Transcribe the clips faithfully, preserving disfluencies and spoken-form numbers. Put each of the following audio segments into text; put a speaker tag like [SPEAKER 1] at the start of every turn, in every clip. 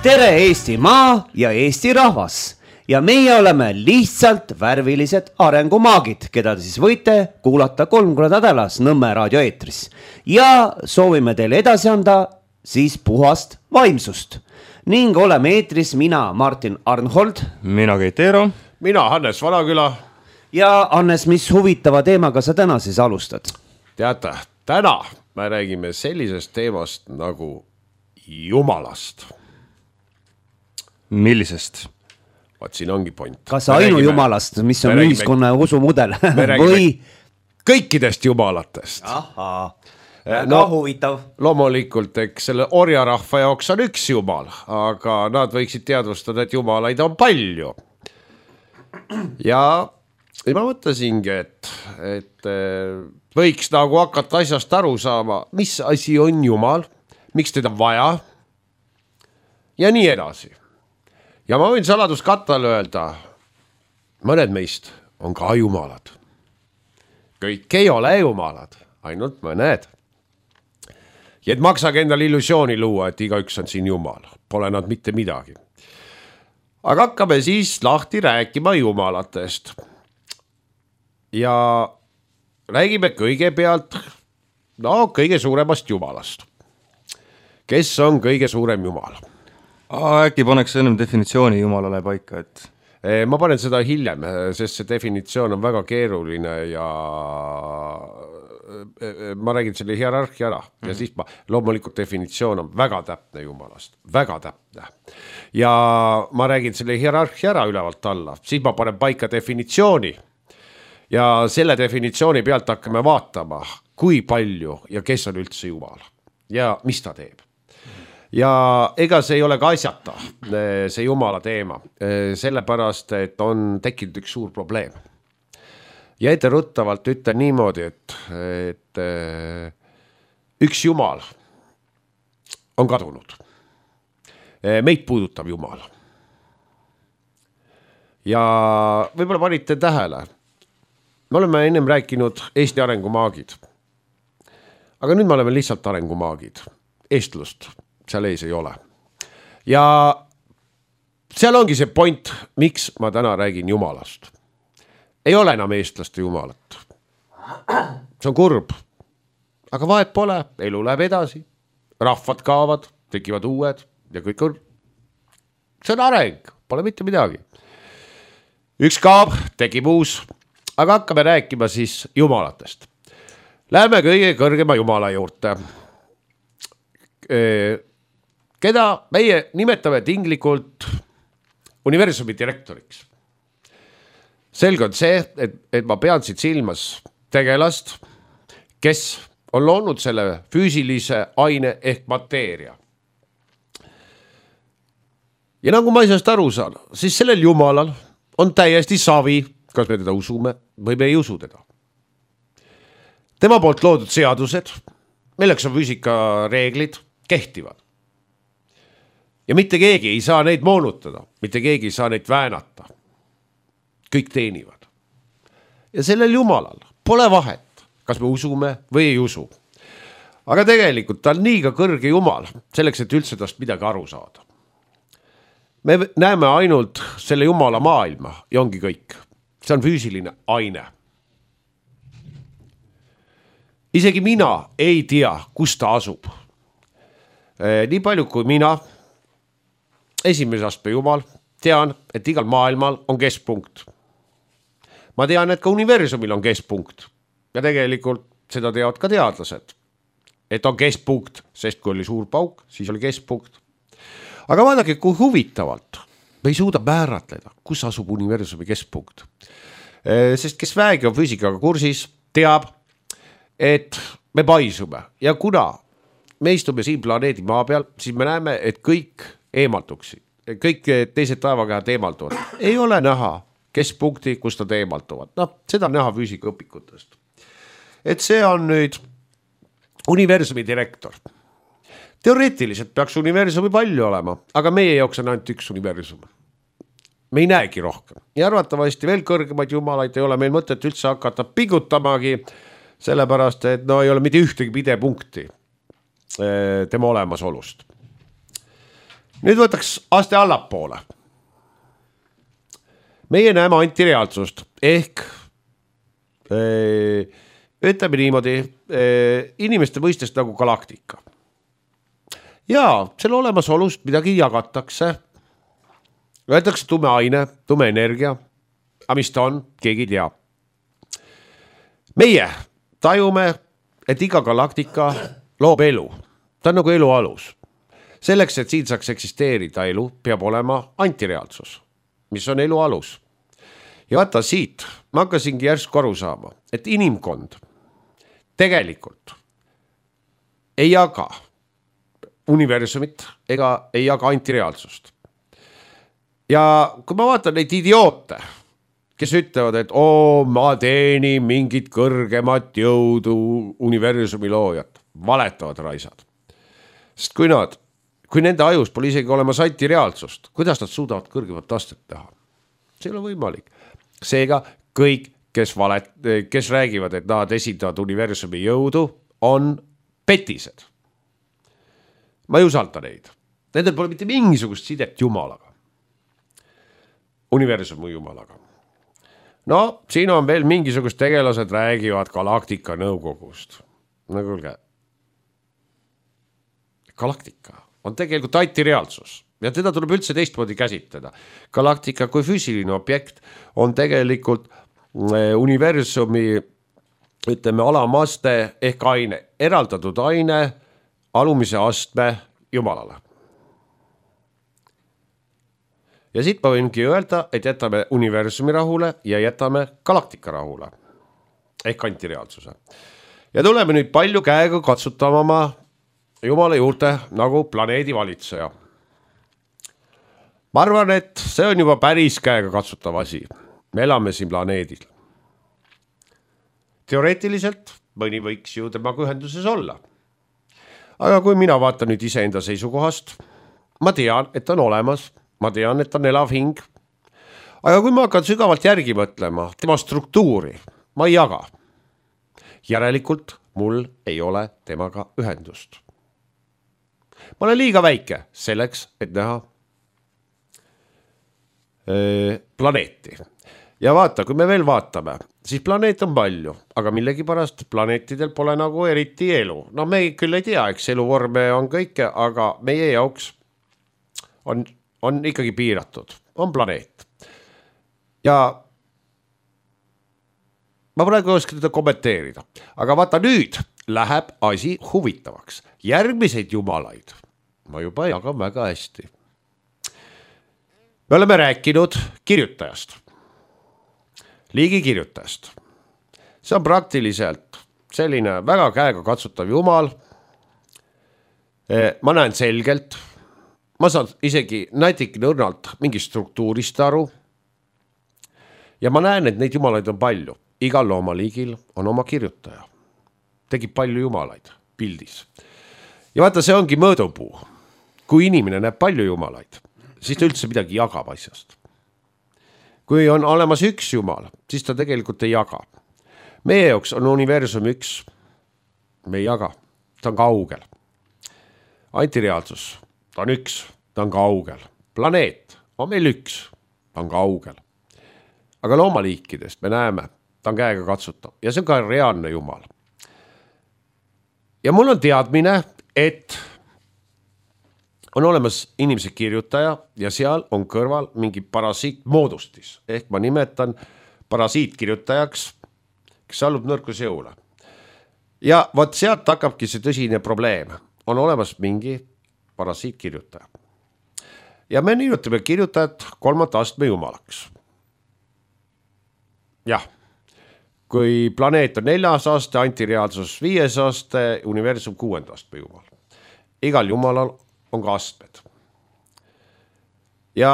[SPEAKER 1] tere Eestimaa ja Eesti rahvas ja meie oleme lihtsalt värvilised arengumaagid, keda te siis võite kuulata kolm korda nädalas Nõmme raadio eetris ja soovime teile edasi anda siis puhast vaimsust ning oleme eetris mina Martin Arnhold,
[SPEAKER 2] mina Keit Eero,
[SPEAKER 3] mina Hannes Vanaküla
[SPEAKER 1] ja Hannes, mis huvitava teemaga sa täna siis alustad?
[SPEAKER 3] Teate, täna me räägime sellisest teemast nagu Jumalast.
[SPEAKER 2] Millisest?
[SPEAKER 3] Vaat siin ongi point.
[SPEAKER 1] Kas ainu räägime, Jumalast, mis on räägime, ühiskonna usumudel? Või
[SPEAKER 3] kõikidest Jumalatest.
[SPEAKER 1] Ahaa,
[SPEAKER 3] no,
[SPEAKER 1] huvitav.
[SPEAKER 3] Loomulikult, eks selle orjarahva jaoks on üks Jumal, aga nad võiksid teadvustada, et Jumalaid on palju. Ja, ja ma mõtlesingi, et, et võiks nagu hakata asjast aru saama, mis asi on Jumal, miks teda vaja ja nii edasi. Ja ma võin saladuskattal öelda, mõned meist on ka Jumalad. Kõik ei ole Jumalad, ainult mõned. Ja et maksage endale illusiooni luua, et igaüks on siin Jumal. Pole nad mitte midagi. Aga hakkame siis lahti rääkima Jumalatest. Ja räägime kõigepealt no, kõige suuremast Jumalast. Kes on kõige suurem Jumal?
[SPEAKER 2] Äkki paneks ennem definitsiooni Jumalale paika, et...
[SPEAKER 3] Ma panen seda hiljem, sest see definitsioon on väga keeruline ja ma räägin selle hierarhia ära ja mm-hmm. siis ma, loomulikult definitsioon on väga täpne Jumalast, väga täpne. Ja ma räägin selle hierarhia ära ülevalt alla, siis ma panen paika definitsiooni ja selle definitsiooni pealt hakkame vaatama, kui palju ja kes on üldse Jumal ja mis ta teeb. Ja ega see ei ole ka asjata, see Jumala teema, sellepärast, et on tekkinud üks suur probleem. Ja etteruttavalt ütlen niimoodi, et, et üks Jumal on kadunud. Meid puudutab Jumal. Ja võib-olla panite tähele, me oleme ennem rääkinud Eesti arengumaagid. Aga nüüd me oleme lihtsalt arengumaagid, eestlust. Seal ees ei ole. Ja seal ongi see point, miks ma täna räägin Jumalast. Ei ole enam eestlaste Jumalat. See on kurb. Aga vahet pole, elu läheb edasi. Rahvad kaovad, tekivad uued ja kõik on... See on areng, pole mitte midagi. Üks kaob, tekib uus. Aga hakkame rääkima siis Jumalatest. Läheme kõige kõrgema Jumala juurde. Keda meie nimetame tinglikult universumi direktoriks. Selge on see, et, et ma pean siit silmas tegelast, kes on loonud selle füüsilise aine ehk mateeria. Ja nagu ma asjast aru saan, siis sellel Jumalal on täiesti savi, kas me teda usume või me ei usu teda. Tema poolt loodud seadused, milleks on füüsika reeglid, kehtivad. Ja mitte keegi ei saa neid moonutada, mitte keegi ei saa neid väänata. Kõik teenivad. Ja sellel Jumalal pole vahet, kas me usume või ei usu. Aga tegelikult ta on nii ka kõrge Jumal, selleks, et üldse tast midagi aru saada. Me näeme ainult selle Jumala maailma ja ongi kõik. See on füüsiline aine. Isegi mina ei tea, kus ta asub. Nii palju kui mina, esimese astme Jumal, tean, et igal maailmal on keskpunkt. Ma tean, et ka universumil on keskpunkt. Ja tegelikult seda teavad ka teadlased. Et on keskpunkt, sest kui oli suur pauk, siis oli keskpunkt. Aga vaadake, kui huvitavalt me ei suuda määratleda, kus asub universumi keskpunkt. Sest kes väegi on füüsikaga kursis, teab, et me paisume. Ja kuna me istume siin planeedi maa peal, siis me näeme, et kõik eemaltuksid. Kõik teised taevakehad eemaltuvad. Ei ole näha keskpunkti, kus nad eemaltuvad. No, seda on näha füüsikaõpikutest. Et see on nüüd universumi direktor. Teoreetiliselt peaks universumi palju olema, aga meie jaoks on ainult üks universum. Me ei näegi rohkem. Ja arvatavasti veel kõrgemaid Jumalaid ei ole meil mõtet üldse hakata pingutamagi, sellepärast, et no ei ole mitte ühtegi pidepunkti tema olemasolust. nüüd võtaks aste allapoole. Meie näeme antireaalsust ehk öö, ütleme niimoodi öö, inimeste mõistest nagu galaktika. Ja selle olemasolust midagi jagatakse. Öeldakse tume aine, tume energia, aga mis ta on, keegi ei tea. Meie tajume, et iga galaktika loob elu. Ta on nagu elu alus. Selleks, et siin saaks eksisteerida elu, peab olema antireaalsus, mis on elu alus. Ja vaata siit, ma hakkasingi järsku aru saama, et inimkond tegelikult ei jaga universumit ega ei jaga antireaalsust. Ja kui ma vaatan neid idioote, kes ütlevad, et oo, ma teenin mingit kõrgemat jõudu universumi loojat, valetavad raisad. Sest kui nad, kui nende ajus pole isegi olemas antireaalsust, kuidas nad suudavad kõrgemat astet teha? See ei ole võimalik. Seega kõik, kes, valet, kes räägivad, et nad esindavad universumi jõudu, on petised. Ma ei usalda neid. Nendel pole mitte mingisugust sidet Jumalaga. Universumi Jumalaga. No, siin on veel mingisugust tegelased räägivad galaktika nõukogust. No kuulge, galaktika on tegelikult antireaalsus ja teda tuleb üldse teistmoodi käsitleda. Galaktika kui füüsiline objekt on tegelikult universumi, ütleme, alamaste ehk aine, eraldatud aine alumise astme Jumalale. Ja siit ma võingi öelda, et jätame universumi rahule ja jätame galaktika rahule ehk antireaalsuse. Ja tuleme nüüd palju käega katsutama Jumala juurde nagu planeedi valitseja. Ma arvan, et see on juba päris käega katsutav asi. Me elame siin planeedil. Teoreetiliselt mõni võiks ju temaga ühenduses olla. Aga kui mina vaatan nüüd iseenda seisukohast, ma tean, et on olemas. Ma tean, et on elav hing. Aga kui ma hakkan sügavalt järgi mõtlema, tema struktuuri, ma ei jaga. Järelikult mul ei ole temaga ühendust. Ma olen liiga väike selleks, et näha öö, planeeti. Ja vaata, kui me veel vaatame, siis planeet on palju, aga millegi pärast planeetidel pole nagu eriti elu. No me küll ei tea, eks eluvorme on kõike, aga meie jaoks on on ikkagi piiratud, on planeet. Ja ma praegu ei oska teda kommenteerida, aga vaata nüüd läheb asi huvitavaks. Järgmiseid jumalaid ma juba jagan väga hästi. Me oleme rääkinud kirjutajast, liigi kirjutajast. See on praktiliselt selline väga käega katsutav jumal. Ma näen selgelt, ma saan isegi näitik nõrnalt mingi struktuurist aru ja ma näen, et neid jumalaid on palju. Igal loomaliigil on oma kirjutaja. Tegib palju jumalaid pildis. Ja vaata, see ongi mõõdupuu. Kui inimene näeb palju jumalaid, siis ta üldse midagi jagab asjast. Kui on olemas üks jumal, siis ta tegelikult ei jaga. Meie jaoks on universum üks. Me ei jaga. Ta on kaugel. Antireaalsus. Ta on üks, ta on kaugel. Planeet on meil üks, ta on kaugel. Aga loomaliikidest me näeme, ta on käega katsutav ja see on ka reaalne jumal. Ja mul on teadmine, et on olemas inimese kirjutaja ja seal on kõrval mingi parasiitmoodustis. Ehk ma nimetan parasiitkirjutajaks, kes allub nõrkus jõule. Ja vaat sealt hakkabki see tõsine probleem. On olemas mingi parasiitkirjutaja. Ja me nimetame kirjutajat kolmanda astme jumalaks. Jah, kui planeet on neljas aste, antireaalsus viies aste, universum kuuenda astme jumal. Igal jumalal on ka astmed. Ja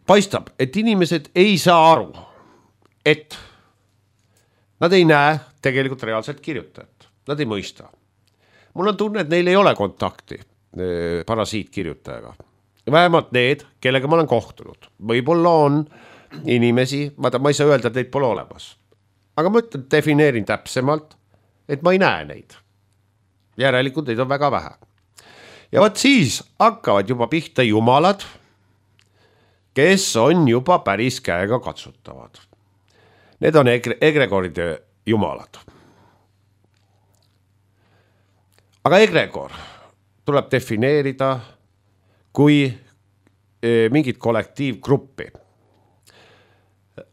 [SPEAKER 3] paistab, et inimesed ei saa aru, et nad ei näe tegelikult reaalselt kirjutajat. Nad ei mõista. Mul on tunne, et neil ei ole kontakti parasiitkirjutajaga. Vähemalt need, kellega ma olen kohtunud. Võib-olla on inimesi, vaata, ma ei saa öelda, et neid pole olemas. Aga ma ütlen, defineerin täpsemalt, et ma ei näe neid. Järelikult neid on väga vähe. ja vot siis hakkavad juba pihta jumalad, kes on juba päris käega katsutavad. Need on egre- egregoride jumalad. Aga egregor tuleb defineerida kui mingit kollektiivgruppi.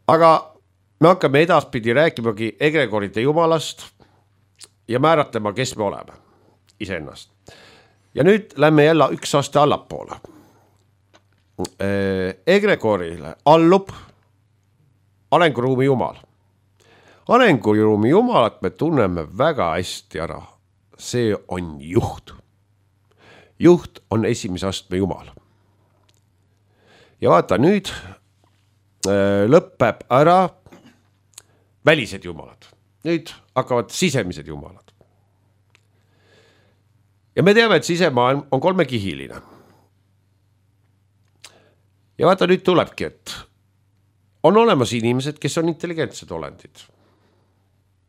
[SPEAKER 3] Aga me hakkame edaspidi rääkimagi egregoride jumalast ja määratlema, kes me oleme iseennast. Ja nüüd lähme jälle üks aste allapoole. Egregorile allub arenguruumi jumal. Arenguruumi jumalat me tunneme väga hästi ära. See on juht. Juht on esimese astme jumal. Ja vaata, nüüd lõpeb ära välised jumalad. Nüüd hakkavad sisemised jumalad. Ja me teame, et sisemaailm on kolmekihiline. Ja vaata, nüüd tulebki, et on olemas inimesed, kes on intelligentsed olendid.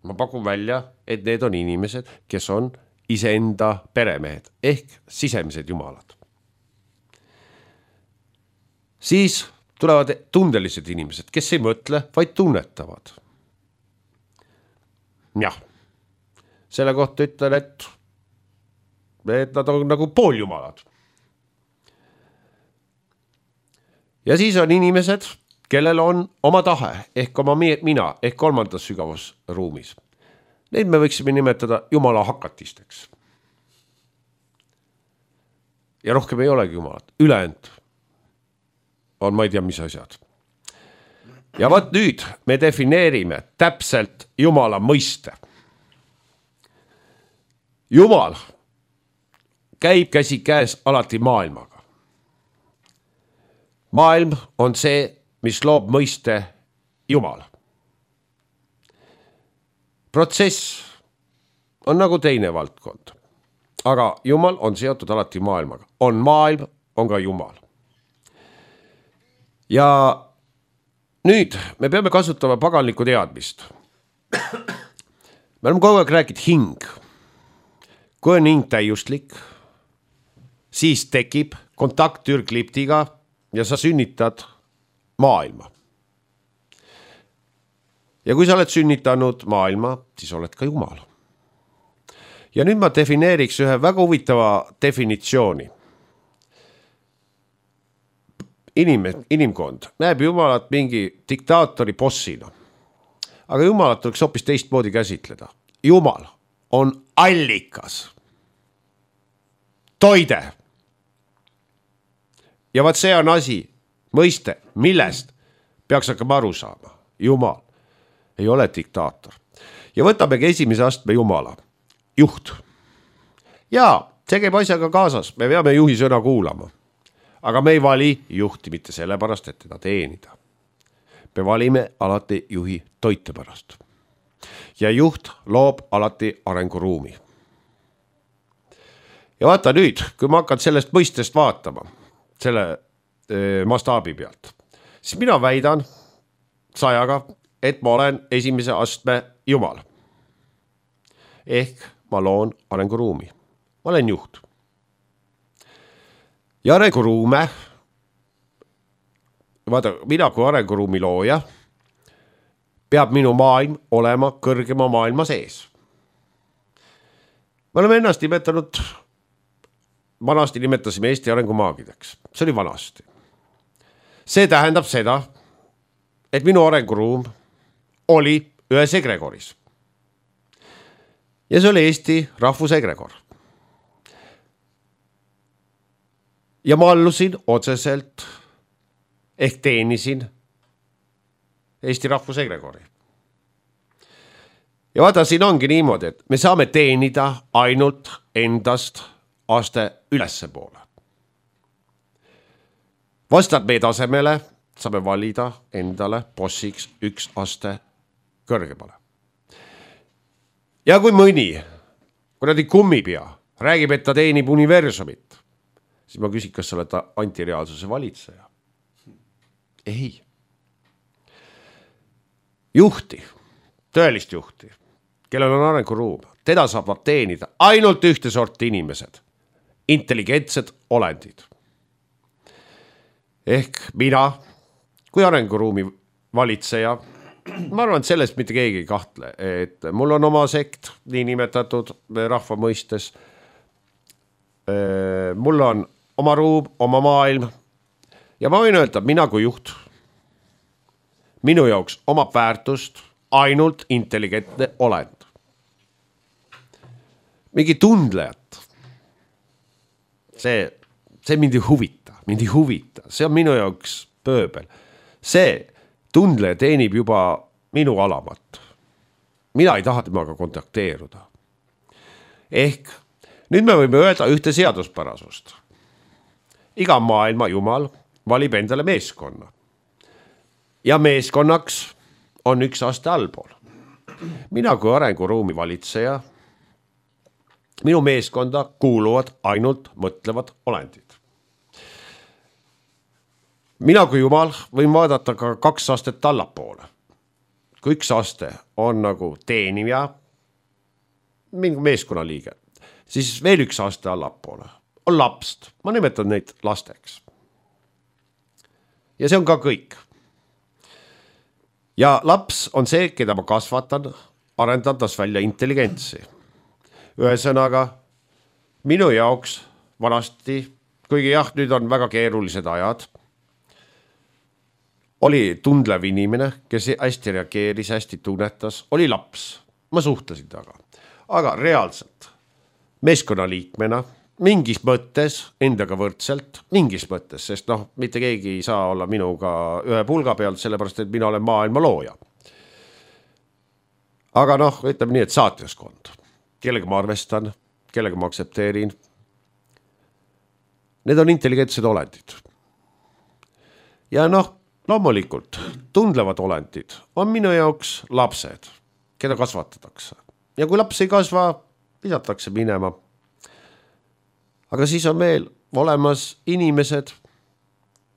[SPEAKER 3] Ma pakun välja, et need on inimesed, kes on iseenda peremehed ehk sisemised jumalad. Siis tulevad tundelised inimesed, kes ei mõtle, vaid tunnetavad. Jah, selle kohta ütlen, et, et nad on nagu pooljumalad. Ja siis on inimesed, kellel on oma tahe ehk oma mina ehk kolmandas sügavas ruumis. Neid me võiksime nimetada jumala hakatisteks. Ja rohkem ei olegi jumalat. Ülejäänud on ma ei tea, mis asjad. Ja vaat nüüd me defineerime täpselt jumala mõiste. Jumal käib käsi käes alati maailmaga. Maailm on see, mis loob mõiste jumal. Protsess on nagu teine valdkond, aga jumal on seotud alati maailmaga. On maailm, on ka jumal. Ja nüüd me peame kasutama paganlikku teadmist. Me oleme kogu aeg rääkinud hing. Kui on hing täiustlik, siis tekib kontakt türkliptiga ja sa sünnitad maailma. Ja kui sa oled sünnitanud maailma, siis oled ka jumal. Ja nüüd ma defineeriks ühe väga huvitava definitsiooni. Inim, inimkond näeb jumalat mingi diktaatori bossina. Aga jumalat tuleks hoopis teistmoodi käsitleda. Jumal on allikas. Toide. Ja vaat see on asi, mõiste, millest peaks hakkama aru saama. Jumal ei ole diktaator. Ja võtamegi esimese astme jumala. Juht. Ja see käib asjaga kaasas. Me peame juhi sõna kuulama. Aga me ei vali juhti mitte sellepärast, et teda teenida. Me valime alati juhi toite pärast. Ja juht loob alati arenguruumi. Ja vaata nüüd, kui ma hakkan sellest mõistest vaatama, selle e, mastaabi pealt, siis mina väidan sajaga, et ma olen esimese astme jumal. Ehk ma loon arenguruumi. Ma olen juht. Ja arenguruume, vaata, mina kui arenguruumi looja, peab minu maailm olema kõrgema maailma sees. Me oleme ennast nimetanud, vanasti nimetasime Eesti arengumaagideks. See oli vanasti. See tähendab seda, et minu arenguruum oli ühes egregoris. Ja see oli Eesti rahvusegregor. Ja ma allusin otseselt ehk teenisin Eesti rahvusegregori. Ja vaata, siin ongi niimoodi, et me saame teenida ainult endast aste ülesse poole. Vastad meie tasemele, saame valida endale bossiks üks aste kõrgemale. Ja kui mõni, kuradi kummipea, räägib, et ta teenib universumit, siis ma küsin, kas sa oled antireaalsuse valitseja? Ei. Juhti, tõelist juhti, kellel on arenguruum, teda saab teenida ainult ühte sorti inimesed. intelligentsed olendid. Ehk mina kui arenguruumi valitseja, ma arvan, et sellest mitte keegi ei kahtle, et mul on oma sekt, nii nimetatud rahva mõistes. Mul on oma ruum, oma maailm ja ma võin öelda, mina kui juht, minu jaoks omab väärtust ainult intelligentne olend. Mingi tundlejat. See, see mind ei huvita, mind ei huvita. See on minu jaoks pööbel. See tundleja teenib juba minu alamat. Mina ei taha temaga kontakteeruda. Ehk nüüd me võime öelda ühte seaduspärasust. Iga maailma jumal valib endale meeskonna. Ja meeskonnaks on üks aste allpool. Mina kui arenguruumi valitseja, minu meeskonda kuuluvad ainult mõtlevad olendid. Mina kui jumal võin vaadata ka kaks astet allapoole. Kui üks aste on nagu teenija, mingi meeskonna liige, siis veel üks aste allapoole on lapst. Ma nimetan neid lasteks. Ja see on ka kõik. Ja laps on see, keda ma kasvatan, arendades välja intelligentsi. Ühesõnaga, minu jaoks vanasti, kuigi jah, nüüd on väga keerulised ajad, oli tundlev inimene, kes hästi reageeris, hästi tunnetas, oli laps. Ma suhtlesin taga. Aga reaalselt, meeskonnaliikmena, mingis mõttes, endaga võrdselt, mingis mõttes, sest noh, mitte keegi ei saa olla minuga ühe pulga pealt, sellepärast, et mina olen maailma looja. Aga noh, ütleme nii, et saatjaskond. Kellega ma arvestan, kellega ma aksepteerin. Need on intelligentsed olendid. Ja noh, loomulikult, tundlevad olendid on minu jaoks lapsed, keda kasvatatakse. Ja kui laps ei kasva, visatakse minema. Aga siis on veel olemas inimesed,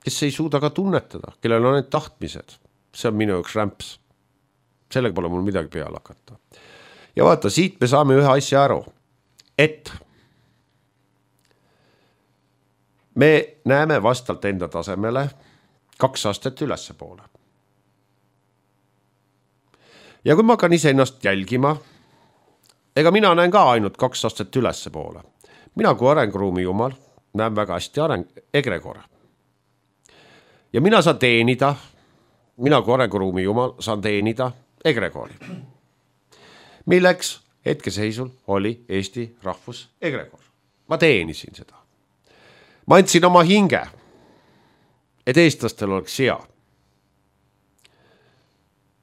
[SPEAKER 3] kes ei suuda ka tunnetada, kellel on need tahtmised. See on minu jaoks rämps. Sellega pole mul midagi peale hakata. Ja vaata, siit me saame ühe asja aru, et me näeme vastalt enda tasemele kaks astet ülesse poole. Ja kui ma hakkan ise ennast jälgima, ega mina näen ka ainult kaks astet ülesse poole. Mina kui arenguruumi jumal näen väga hästi areng, egregor. Ja mina saan teenida, mina kui arenguruumi jumal saan teenida egregori. Milleks hetkeseisul oli Eesti rahvus egregor. Ma teenisin seda. Ma andsin oma hinge, et eestlastel oleks hea.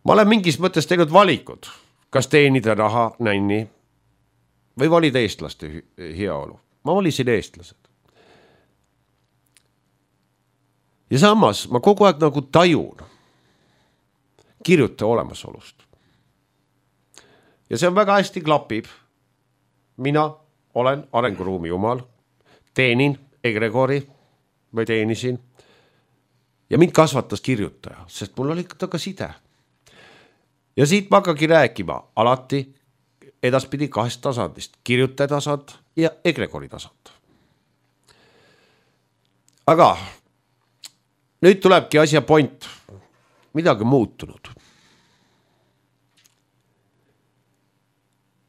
[SPEAKER 3] Ma olen mingis mõttes teinud valikud, kas teenida raha, nänni või valida eestlaste heaolu. Ma valisin eestlased. Ja samas ma kogu aeg nagu tajun kirjuta olemasolust. Ja see on väga hästi klapib. Mina olen arenguruumi jumal, teenin egregori või teenisin ja mind kasvatas kirjutaja, sest mul oli ka side. Ja siit ma hakkagi rääkima alati edaspidi kahest tasandist, kirjutaja tasand ja egregori tasand. Aga nüüd tulebki asja point, midagi muutunud.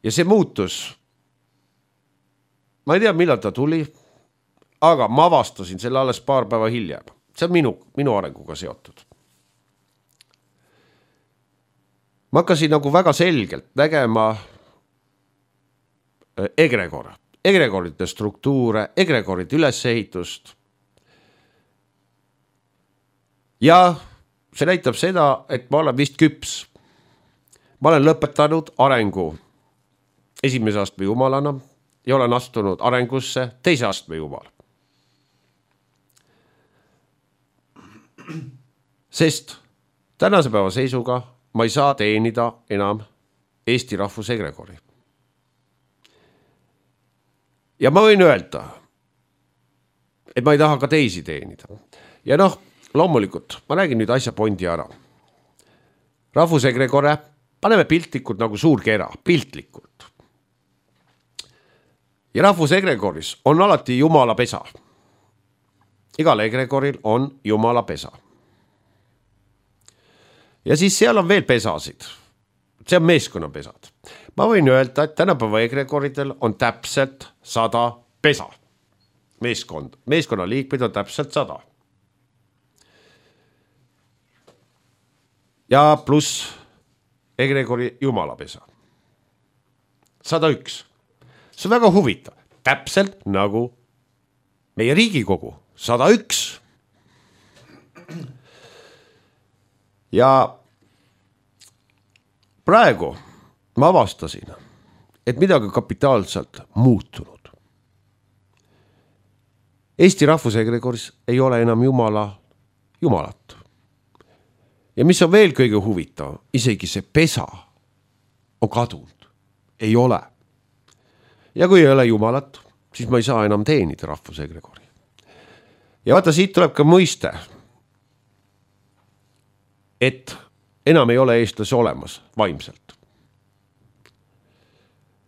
[SPEAKER 3] Ja see muutus, ma ei tea, millal ta tuli, aga ma avastasin selle alles paar päeva hiljem. See on minu, minu arenguga seotud. Ma hakkasin nagu väga selgelt nägema egregor, egregorite struktuure, egregorite ülesehitust. Ja see näitab seda, et ma olen vist küps. Ma olen lõpetanud arengu esimese astme jumalana ja olen astunud arengusse teise astme jumal. Sest tänase päeva seisuga ma ei saa teenida enam Eesti rahvuse egregori. Ja ma võin öelda, et ma ei taha ka teisi teenida. Ja noh, loomulikult, ma räägin nüüd asja pointi ära. Rahvuse egregore, paneme piltlikult nagu suur kera, piltlikult. ja rahvusegregoris on alati jumala pesa. Igal egregoril on jumala pesa. Ja siis seal on veel pesasid. See on meeskonnapesad. Ma võin öelda, et tänapäeva egregoridel on täpselt sada pesa. Meeskond. Meeskonna liikmeid on täpselt sada. Ja pluss egregori jumala pesa. sada üks. See on väga huvitav. Täpselt nagu meie Riigikogu. sada üks. Ja praegu ma avastasin, et midagi kapitaalselt muutunud. Eesti rahvusegregoris ei ole enam jumala jumalat. Ja mis on veel kõige huvitav, isegi see pesa on kadunud. Ei ole. Ja kui ei ole jumalat, siis ma ei saa enam teenida rahvusegregori. Ja vaata, siit tuleb ka mõiste, et enam ei ole eestlasi olemas vaimselt.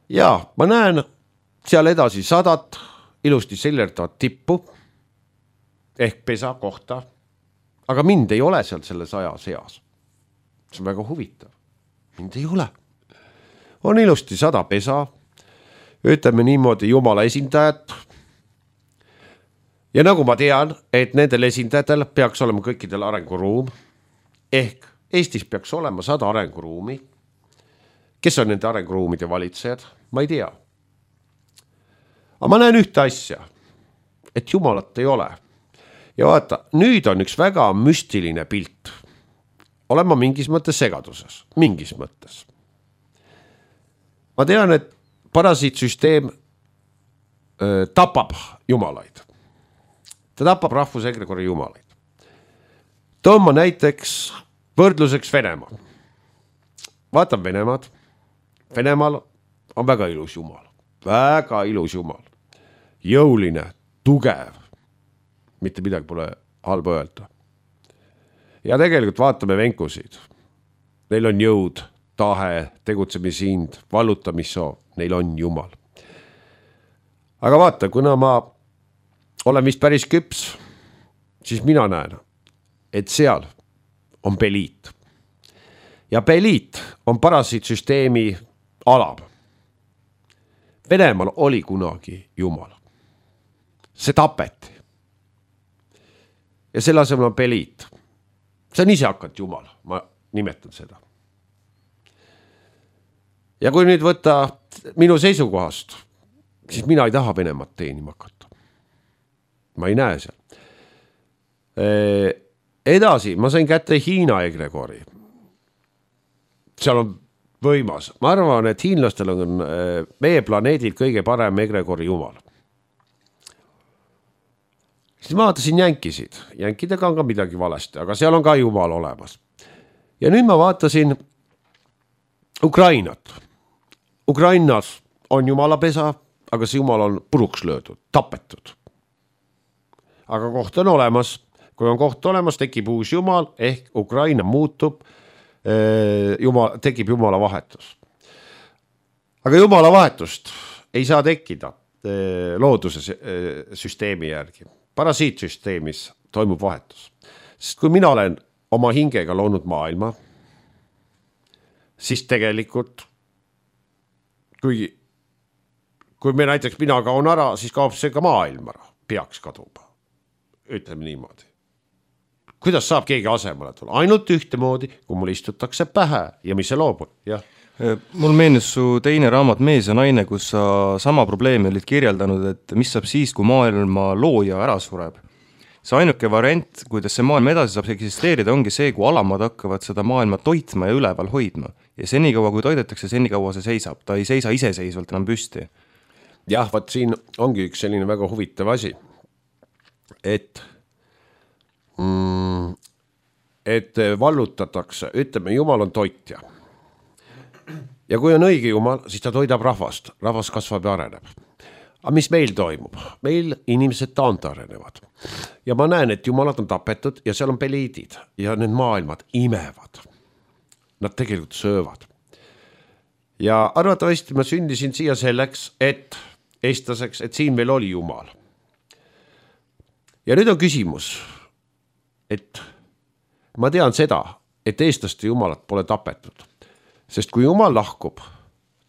[SPEAKER 3] Ja ma näen seal edasi sadat ilusti sellerdavat tippu ehk pesa kohta, aga mind ei ole seal selle saja seas. See on väga huvitav. Mind ei ole. On ilusti sada pesa, ütleme niimoodi jumala esindajat. Ja nagu ma tean, et nendel esindajatel peaks olema kõikidel arenguruum, ehk Eestis peaks olema sada arenguruumi. Kes on nende arenguruumide valitsejad? Ma ei tea. Aga ma näen ühte asja, et jumalat ei ole. Ja vaata, nüüd on üks väga müstiline pilt. Olen ma mingis mõttes segaduses, mingis mõttes. Ma tean, et parasiitsüsteem öö, tapab jumalaid. Ta tapab rahvusegregori jumalaid. Toon ma näiteks võrdluseks Venemaa. Vaatan Venemaad. Venemaal on väga ilus jumal. Väga ilus jumal. Jõuline, tugev. Mitte midagi pole halba öelda. Ja tegelikult vaatame venkusid. Neil on jõud, tahe, tegutsemisind, vallutamissoov. Neil on jumal. Aga vaata, kuna ma olen vist päris küps, siis mina näen, et seal on Beliit. Ja Beliit on parasiitsüsteemi alab. Venemaal oli kunagi jumal. See tapeti. Ja selle asemel on Beliit. See on ise hakanud jumal, ma nimetan seda. Ja kui nüüd võtta minu seisukohast, siis mina ei taha Venemaad teenima hakata. Ma ei näe seal. Edasi, ma sain kätte Hiina egregori. Seal on võimas. Ma arvan, et hiinlastel on meie planeedil kõige parem egregori jumal. Siis ma vaatasin jänkisid. Jänkidega on ka midagi valesti, aga seal on ka jumal olemas. Ja nüüd ma vaatasin Ukrainat. Ukrainas on jumalapesa, aga see jumal on puruks löödud, tapetud. Aga koht on olemas. Kui on koht olemas, tekib uus jumal, ehk Ukraina muutub, jumal, tekib jumala vahetus. Aga jumala vahetust ei saa tekkida looduse süsteemi järgi. Parasiitsüsteemis toimub vahetus. Sest kui mina olen oma hingega loonud maailma, siis tegelikult, kui, kui me näiteks mina kaon ära, siis kaob see ka maailm ära, peaks kaduma. Ütleme niimoodi. Kuidas saab keegi asemele tulla? Ainult ühtemoodi, kui mul istutakse pähe ja mis see loobub. Jah.
[SPEAKER 2] Mul meenus su teine raamat Mees ja naine, kus sa sama probleemi olid kirjeldanud, et mis saab siis, kui maailma looja ära sureb. See ainuke variant, kuidas see maailm edasi saab eksisteerida, ongi see, kui alamad hakkavad seda maailma toitma ja üleval hoidma. Ja senikaua, kui toidetakse, senikaua see seisab. Ta ei seisa iseseisvalt enam püsti.
[SPEAKER 3] Jah, vaat siin ongi üks selline väga huvitav asi. Et, mm, et vallutatakse, ütleme, jumal on toitja. Ja kui on õige jumal, siis ta toidab rahvast. Rahvas kasvab ja areneb. Aga mis meil toimub? Meil inimesed taantarenevad. Ja ma näen, et jumalad on tapetud ja seal on peliidid. Ja need maailmad imevad. Nad tegelikult söövad. Ja arvatavasti ma sündisin siia selleks, et eestlaseks, et siin veel oli Jumal. Ja nüüd on küsimus, et ma tean seda, et eestlaste Jumalat pole tapetud, sest kui Jumal lahkub,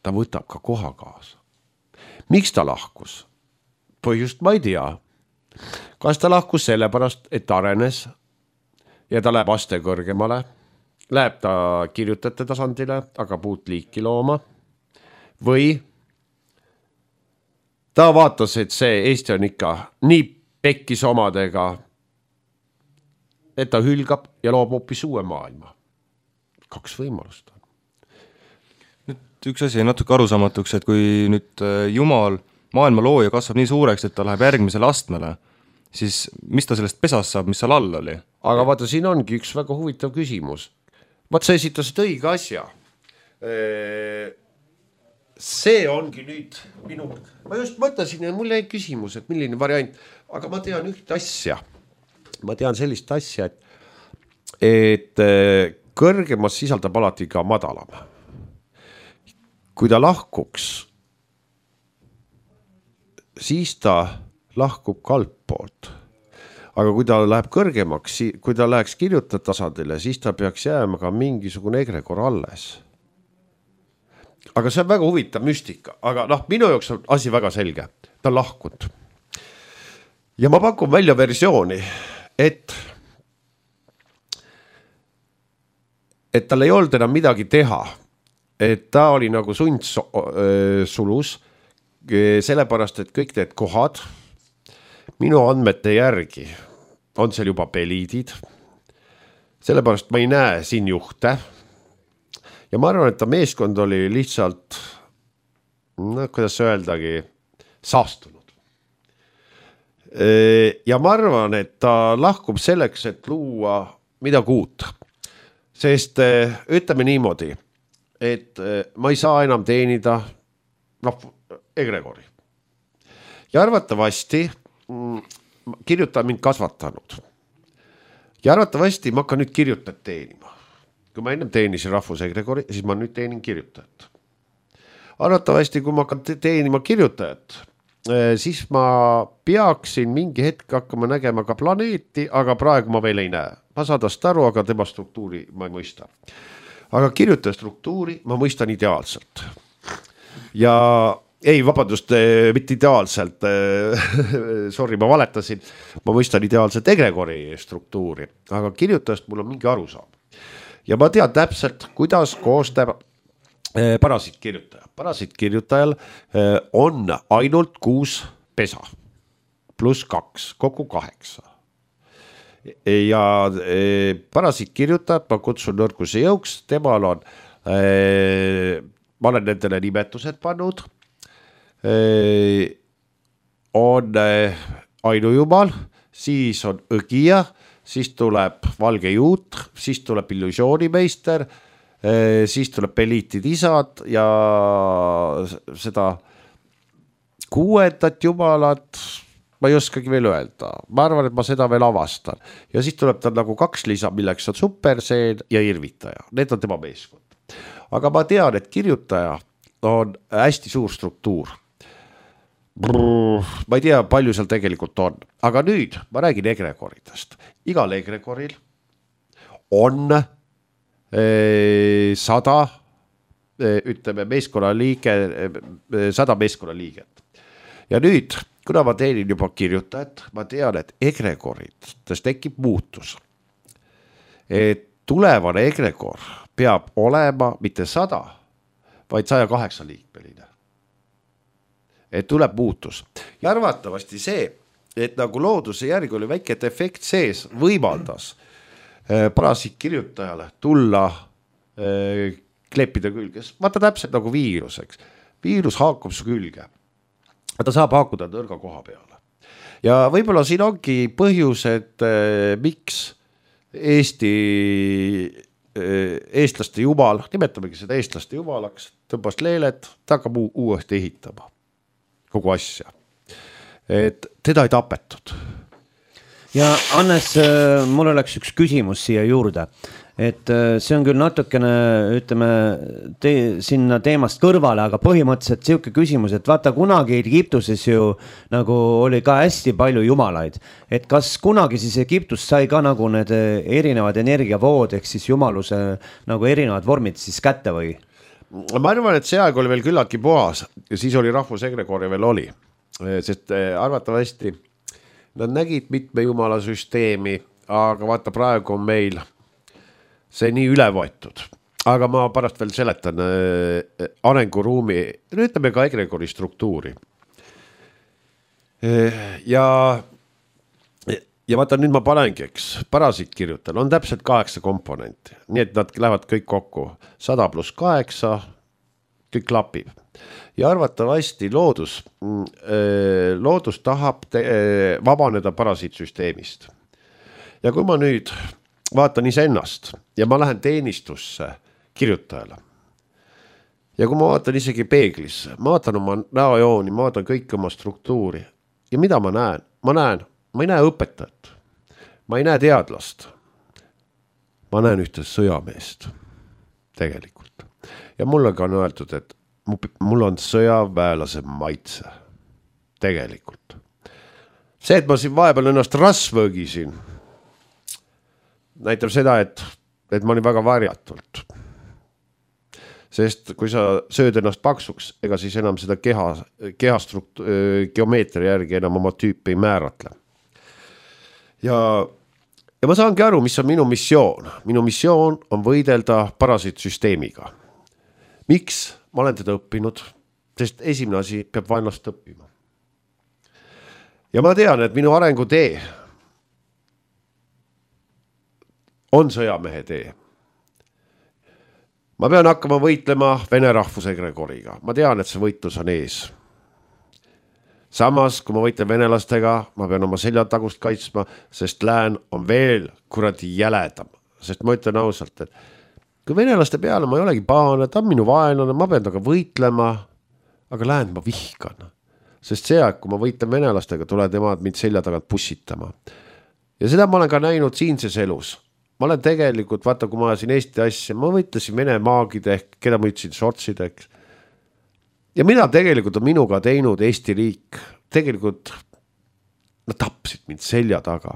[SPEAKER 3] ta võtab ka koha kaasa. Miks ta lahkus? Põhjust ma ei tea. Kas ta lahkus sellepärast, et arenes ja ta läheb aste kõrgemale, läheb ta kirjutajate tasandile, aga puut liiki looma, või ta vaatas, et see Eesti on ikka nii pekkis omadega, et ta hülgab ja loob hoopis uue maailma. Kaks võimalust on.
[SPEAKER 2] Nüüd üks asi natuke arusaamatuks, et kui nüüd Jumal, maailma looja kasvab nii suureks, et ta läheb järgmisele astmele, siis mis ta sellest pesast saab, mis seal all oli?
[SPEAKER 3] Aga vaata, siin ongi üks väga huvitav küsimus. Vaat sa esitasid õige asja. See ongi nüüd minu... Ma just mõtlesin, ja mul jäi küsimus, et milline variant, aga ma tean üht asja. Ma tean sellist asja, et, et kõrgemas sisaldab alati ka madalam. Kui ta lahkuks, siis ta lahkub kalppoolt. Aga kui ta läheb kõrgemaks, kui ta läheks kirjutajate tasandile, siis ta peaks jääma ka mingisugune egregor alles. Aga see on väga huvitav müstika, aga noh, minu jaoks on asi väga selge. Ta on lahkunud. Ja ma pakun välja versiooni, et et tal ei olnud enam midagi teha. Et ta oli nagu sund sulus, sellepärast, et kõik need kohad minu andmete järgi on seal juba peliidid, sellepärast ma ei näe siin juhte ja ma arvan, et ta meeskond oli lihtsalt, no kuidas öeldagi, saastunud. Ja ma arvan, et ta lahkub selleks, et luua midagi uut, sest ütleme niimoodi, et ma ei saa enam teenida noh, egregori. Ja arvatavasti kirjutaja mind kasvatanud. Ja arvatavasti ma hakkan nüüd kirjutajat teenima. Kui ma ennem teenisin rahvusegregori, siis ma nüüd teenin kirjutajat. Arvatavasti, kui ma hakkan teenima kirjutajat, siis ma peaksin mingi hetk hakkama nägema ka planeeti, aga praegu ma veel ei näe. Ma saadast aru, aga tema struktuuri ma ei mõista. Aga kirjutaja struktuuri ma mõistan ideaalselt. Ja ei, vabandust, mitte ideaalselt, sorry, ma valetasin, ma mõistan ideaalselt egregori struktuuri, aga kirjutajast mul on mingi arusaam. Ja ma tean täpselt, kuidas koostab parasiitkirjutaja. Parasiitkirjutajal on ainult kuus pesa, pluss kaks, kokku kaheksa. Ja parasiitkirjutajat ma kutsun nõrkuse jõuks, temal on, ma olen nendele nimetused pannud, on ainujumal, siis on õgija, siis tuleb valge juut, siis tuleb illusioonimeister, siis tuleb peliitid isad ja seda kuuendat jumalat ma ei oskagi veel öelda. Ma arvan, et ma seda veel avastan. Ja siis tuleb ta nagu kaks lisa, milleks on superseen ja irvitaja. Need on tema meeskond. Aga ma tean, et kirjutaja on hästi suur struktuur. Brrr, ma ei tea, palju seal tegelikult on. Aga nüüd ma räägin egregoridest. Igal egregoril on eh, sada eh, ütleme meeskonna liige, eh, sada meeskonna liiget. Ja nüüd kuna ma teenin juba kirjutajat, ma tean, et egregorid tekib muutus. Et tulevane egregor peab olema mitte sada, vaid saja kaheksa liikmeline. Et tuleb muutus. Ja arvatavasti see, et nagu looduse järgi oli väike efekt sees, võimaldas äh, parasiitkirjutajale tulla äh, kleppida külges. Vaata täpselt nagu viiruseks. Viirus haakub su külge. Ta saab haakuda nõrga koha peale. Ja võib-olla siin ongi põhjus, et äh, miks Eesti äh, eestlaste jumal, nimetamegi seda eestlaste jumalaks, tõmbas leelet, ta hakkab u- uuesti ehitama kogu asja. Et teda ei tapetud.
[SPEAKER 1] Ja Hannes, mul oleks üks küsimus siia juurde. et see on küll natukene, ütleme, te, sinna teemast kõrvale, aga põhimõtteliselt siuke küsimus, et vaata kunagi Egiptuses ju nagu oli ka hästi palju jumalaid, et kas kunagi siis Egiptus sai ka nagu need erinevad energiavood, ehk siis jumaluse nagu erinevad vormid siis kätte või?
[SPEAKER 3] Ma arvan, et see aeg oli veel küllaltki puhas ja siis oli rahvusegregoria veel oli, sest arvatavasti nad nägid mitme jumala süsteemi, aga vaata praegu on meil see nii üle võetud, aga ma pärast veel seletan äh, arenguruumi, ütleme ka egregori struktuuri. Ja, ja vaata nüüd ma panengi, eks, parasiit kirjutan, on täpselt kaheksa komponenti, nii et nad lähevad kõik kokku, sada pluss kaheksa, kõik klapib. Ja arvatavasti loodus, äh, loodus tahab te, äh, vabaneda parasiitsüsteemist. Ja kui ma nüüd vaatan iseennast ja ma lähen teenistusse kirjutajale. Ja kui ma vaatan isegi peeglisse, ma vaatan oma näojooni, ma vaatan kõik oma struktuuri. Ja mida ma näen? Ma näen, ma ei näe õpetajat. Ma ei näe teadlast. Ma näen ühte sõjameest. Tegelikult. Ja mulle on öeldud, et mul on sõjaväelase maitse. Tegelikult. See, et ma siin vahepeal ennast rasvõgisin, näitab seda, et, et ma olin väga varjatult. Sest kui sa sööd ennast paksuks, ega siis enam seda keha, kehastrukt, geomeetria järgi enam oma tüüpi ei määratle. Ja, ja ma saangi aru, mis on minu missioon. Minu missioon on võidelda parasiitsüsteemiga. Miks ma olen teda õppinud? Sest esimene asi peab vaenlast õppima. Ja ma tean, et minu arengutee on sõjamehe tee. Ma pean hakkama võitlema vene rahvusegregoriga. Ma tean, et see võitlus on ees. Samas, kui ma võitlen venelastega, ma pean oma seljatagust kaitsma, sest lään on veel kuradi jäledam. Sest ma ütlen ausalt, et kui venelaste peale ma ei olegi pahane, ta on minu vaenlane, ma pean taga võitlema, aga läänd ma vihkan. Sest see aeg, kui ma võitlen venelastega, tuleb nemad mind selja tagant pussitama. Ja seda ma olen ka näinud siinses elus. Ma olen tegelikult, vaata, kui ma ajasin Eesti asja, ma võitlesin vene maagid ehk, keda ma ütlesin sortsideks. Ja mida tegelikult on minuga teinud Eesti riik? Tegelikult nad tapsid mind selja taga.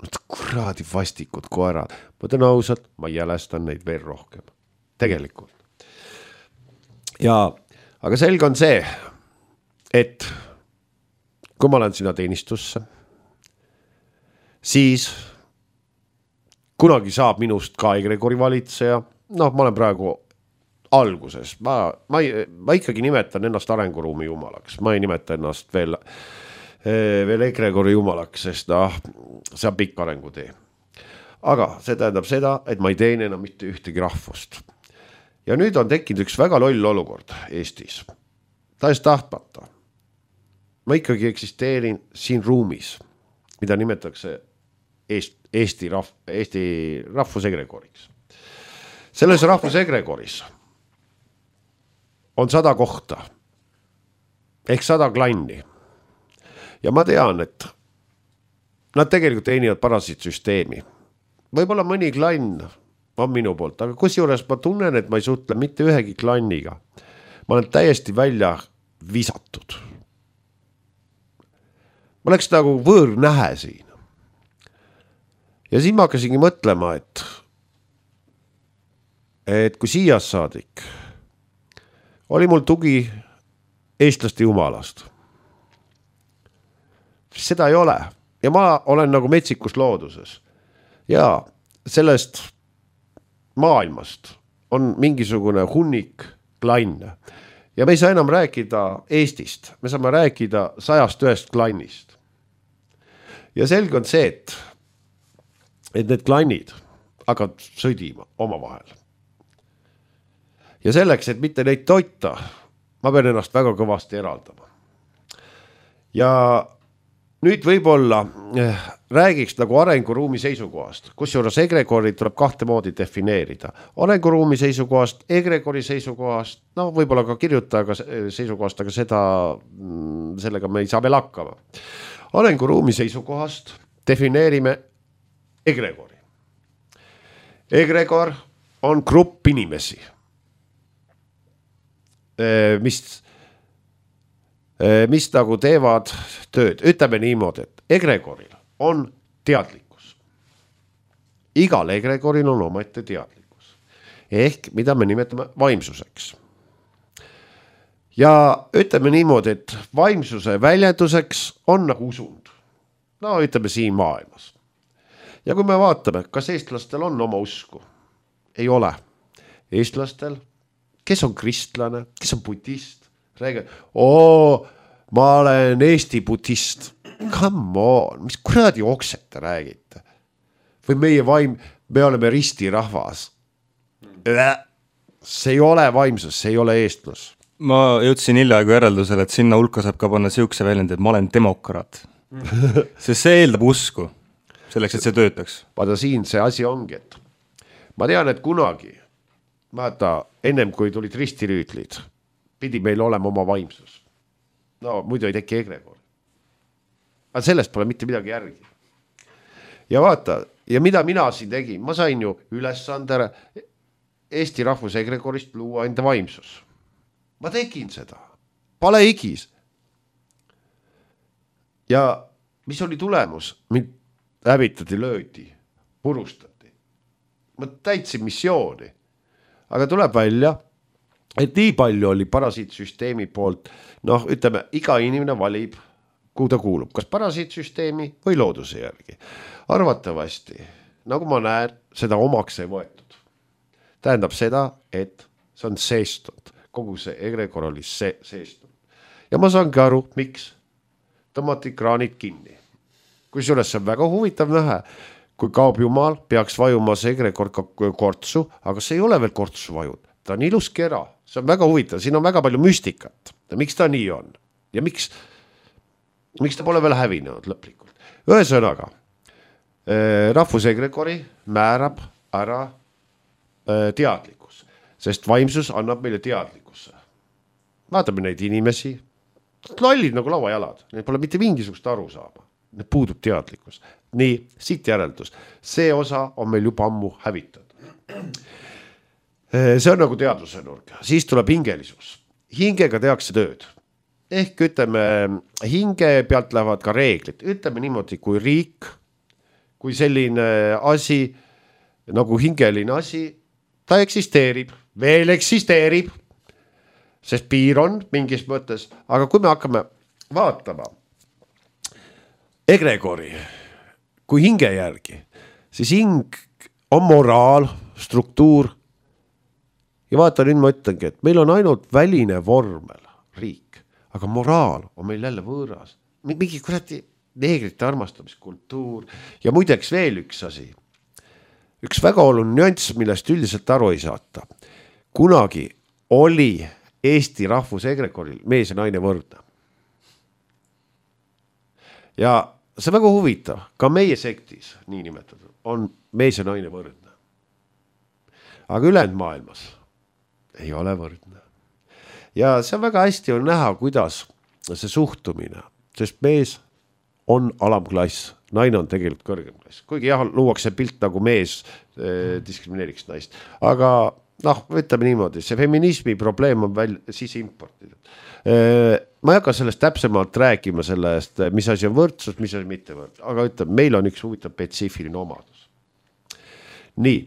[SPEAKER 3] Nad kuradi vastikud koerad. Ma ütlen ausalt, ma jälestan neid veel rohkem. Tegelikult. Ja, aga selge on see, et kui ma olen sinna teenistusse, siis kunagi saab minust ka egregori valitseja. Noh, ma olen praegu alguses. Ma, ma, ma ikkagi nimetan ennast arenguruumi jumalaks. Ma ei nimeta ennast veel, veel egregori jumalaks, sest noh, see on pikk arengutee. Aga see tähendab seda, et ma ei teene enam mitte ühtegi rahvust. Ja nüüd on tekkinud üks väga loll olukord Eestis. Ta ees tahtmata. Ma ikkagi eksisteerin siin ruumis, mida nimetatakse Eesti, Eesti, rahv, Eesti rahvusegregoriks. Selles rahvusegregoris on sada kohta ehk sada klanni. Ja ma tean, et nad tegelikult teenivad parasiitsüsteemi. Võib-olla mõni klann on minu poolt, aga kusjuures ma tunnen, et ma ei suhtle mitte ühegi klanniga. Ma olen täiesti välja visatud. Ma oleks nagu võõrnähe siin. Ja siis ma hakkasingi mõtlema, et, et kui siia saadik oli mul tugi eestlaste jumalast. Seda ei ole. Ja ma olen nagu metsikus looduses. Ja sellest maailmast on mingisugune hunnik klanne. Ja me ei saa enam rääkida Eestist. Me saame rääkida sajast ühest klannist. Ja selge on see, et et need klannid hakkavad sõdima oma vahel. Ja selleks, et mitte neid toita, ma pean ennast väga kõvasti eraldama. Ja nüüd võib-olla eh, räägiks nagu arenguruumi seisukohast, kusjuures egregori tuleb kahte moodi defineerida. Arenguruumi seisukohast, egregori seisukohast, no võib-olla ka kirjutajaga seisukohast, aga seda, sellega me ei saa veel hakkama. Arenguruumi seisukohast defineerime egregori. egregor on grupp inimesi, mis, mis nagu teevad tööd. Ütleme niimoodi, et egregoril on teadlikkus. Igal egregoril on omaette teadlikkus. Ehk mida me nimetame vaimsuseks. Ja ütleme niimoodi, et vaimsuse väljenduseks on nagu usund. No ütleme siin maailmas. Ja kui me vaatame, kas eestlastel on oma usku? Ei ole. Eestlastel, kes on kristlane, kes on budist, räägib, oo, ma olen Eesti budist. Come on, mis kuradi okset te räägite? Või meie vaim, me oleme ristirahvas. See ei ole vaimsus, see ei ole eestlus.
[SPEAKER 2] Ma jõudsin hiljaaegu järeldusele, et sinna hulka saab ka panna siukse väljend, et ma olen demokraat. Sest see eeldab usku, selleks, et see töötaks.
[SPEAKER 3] Vaata siin see asi ongi, et ma tean, et kunagi, vaata, ennem kui tulid ristirüütlid, pidi meil olema oma vaimsus. No muidu ei teki egregor. Aga sellest pole mitte midagi järgi. Ja vaata, ja mida mina siin tegin, ma sain ju ülesandere Eesti rahvuse egregorist luua enda vaimsus. Ma tegin seda. Pale igis. Ja mis oli tulemus? Mind hävitati, löödi, purustati. Ma täitsin missiooni. Aga tuleb välja, et nii palju oli parasiitsüsteemi poolt, noh, ütleme, iga inimene valib, kuhu ta kuulub, kas parasiitsüsteemi või looduse järgi. Arvatavasti, nagu ma näen, seda omaks ei võetud. Tähendab seda, et see on seestud. Kogu see egregor oli see, seestud. Ja ma saangi aru, miks tõmmati kraanid kinni. Kui suures see on väga huvitav näha, kui kaob jumal, peaks vajuma see egregor kortsu, aga see ei ole veel kortsu vajud. Ta on ilus kera, see on väga huvitav, siin on väga palju müstikat. Ja miks ta nii on? Ja miks, miks ta pole veel hävinenud lõplikult? Ühesõnaga, rahvusegregori määrab ära teadlikkus, sest vaimsus annab meile teadlikkusse. Vaatame neid inimesi, lollid nagu lauajalad, need pole mitte mingisugust aru saama, need puudub teadlikkus. Nii, siit järeldus, see osa on meil juba ammu hävitatud. See on nagu teadluse nurk, siis tuleb hingelisus. Hingega tehakse tööd. Ehk ütleme, hinge pealt lähevad ka reeglid. Ütleme niimoodi, kui riik, kui selline asi, nagu hingeline asi, ta eksisteerib, veel eksisteerib, sest piir on mingis mõttes, aga kui me hakkame vaatama egregori, kui hinge järgi, siis hing on moraal, struktuur ja vaata nüüd ma ütlengi, et meil on ainult väline vormel riik, aga moraal on meil jälle võõras. Mingi kuradi neegrite armastamiskultuur ja muideks veel üks asi. Üks väga oluline nüanss, millest üldiselt aru ei saata. Kunagi oli Eesti rahvuse egregoril mees ja naine võrdne. Ja see väga huvitav, ka meie sektis, nii nimetatud, on mees ja naine võrdne. Aga ülejäänud maailmas ei ole võrdne. Ja see on väga hästi on näha, kuidas see suhtumine, sest mees on alamklass, naine on tegelikult kõrgem klass. Kuigi jah, luuakse pilt nagu mees eh, diskrimineeriks naist. Aga noh, ütleme niimoodi, see feminismi probleem on veel siis importida. Eh, ma ei hakka sellest täpsemalt rääkima sellest, mis asi on võrdsus, mis asi mitte võrdsus. Aga ütleme, meil on üks huvitav spetsiifiline omadus. Nii.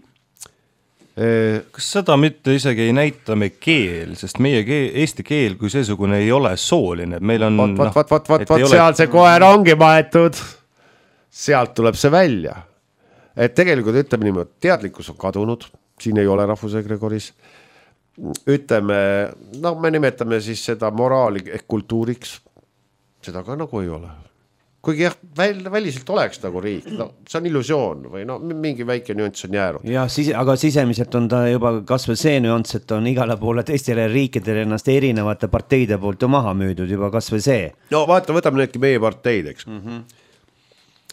[SPEAKER 2] Eh, Kas seda mitte isegi ei näita me keel, sest meie keel, eesti keel kui seesugune ei ole sooline. Meil on,
[SPEAKER 3] vat, vat, vat, vat, vat, vat, seal see koer ongi maetud. Sealt tuleb see välja. Et tegelikult ütleme niimoodi, teadlikkus on kadunud, siin ei ole rahvusegregoris. Ütleme, no me nimetame siis seda moraali ehk kultuuriks, seda ka nagu ei ole. Kuigi jah, väl, väliselt oleks nagu riik, no, see on illusioon või no, mingi väike nüanss on jäänud.
[SPEAKER 1] Ja, sise, aga sisemiselt on ta juba kasvõi see nüanss, et on igale poole teistele riikidele ennast erinevate parteide poolt ju maha müüdud, juba kasvõi see.
[SPEAKER 3] No vaata, võtame needki meie parteid, eks. Mm-hmm.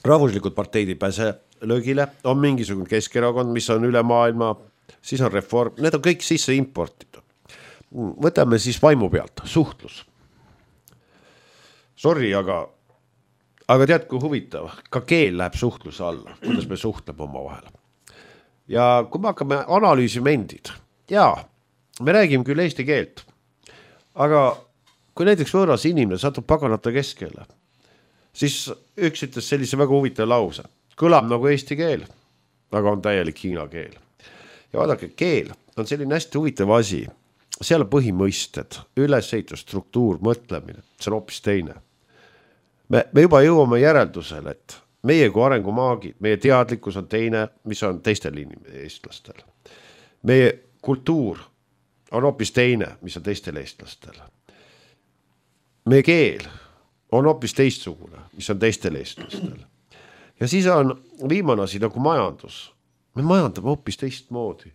[SPEAKER 3] Rahvuslikud parteid ei pääse löögile, on mingisugune Keskerakond, mis on üle maailma, siis on reform, need on kõik sisse importitud. Võtame siis vaimu pealt, suhtlus. Sorry, aga, aga tead, kui huvitav, ka keel läheb suhtluse alla, kuidas me suhtleme oma vahel. ja kui me hakkame analüüsima endid, jaa, me räägime küll eesti keelt, aga kui näiteks võõras inimene satub paganata keskele, siis üks ütles sellise väga huvitav lause, kõlab nagu eesti keel, aga on täielik hiina keel. Ja vaadake, keel on selline hästi huvitav asi, seal on põhimõisted, ülesehitus, struktuur, mõtlemine, see on hoopis teine. Me, me juba jõuame järeldusele, et meie kui arengumaagid, meie teadlikkus on teine, mis on teistel inimestel, eestlastel. Meie kultuur on hoopis teine, mis on teistel eestlastel. Meie keel on hoopis teistsugune, mis on teistel eestlastel. Ja siis on viimane asi nagu majandus. Me majandame hoopis teistmoodi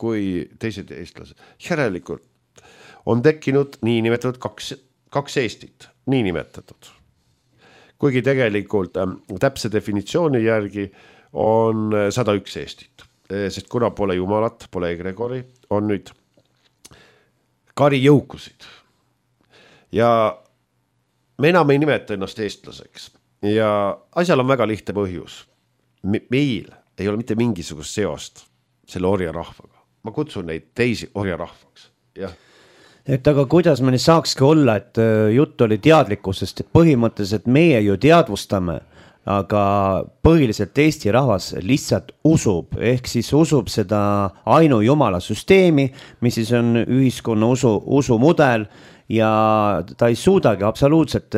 [SPEAKER 3] kui teised eestlased. Järelikult on tekkinud nii nimetatud kaks, kaks Eestit, nii nimetatud. Kuigi tegelikult äh, täpse definitsiooni järgi on sada üks Eestit, sest kuna pole jumalat, pole egregori, on nüüd kari jõukusid. Ja me enam ei nimeta ennast eestlaseks. Ja asjal on väga lihtne põhjus. Meil ei ole mitte mingisugust seost selle orja rahvaga. Ma kutsun neid teisi orja rahvaks. Jah.
[SPEAKER 1] Et aga kuidas me saakski olla, et jutt oli teadlikkusest, et põhimõtteliselt meie ju teadvustame, aga põhiliselt Eesti rahvas lihtsalt usub, ehk siis usub seda ainu jumala süsteemi, mis siis on ühiskonna usu, usumudel ja ta ei suudagi absoluutselt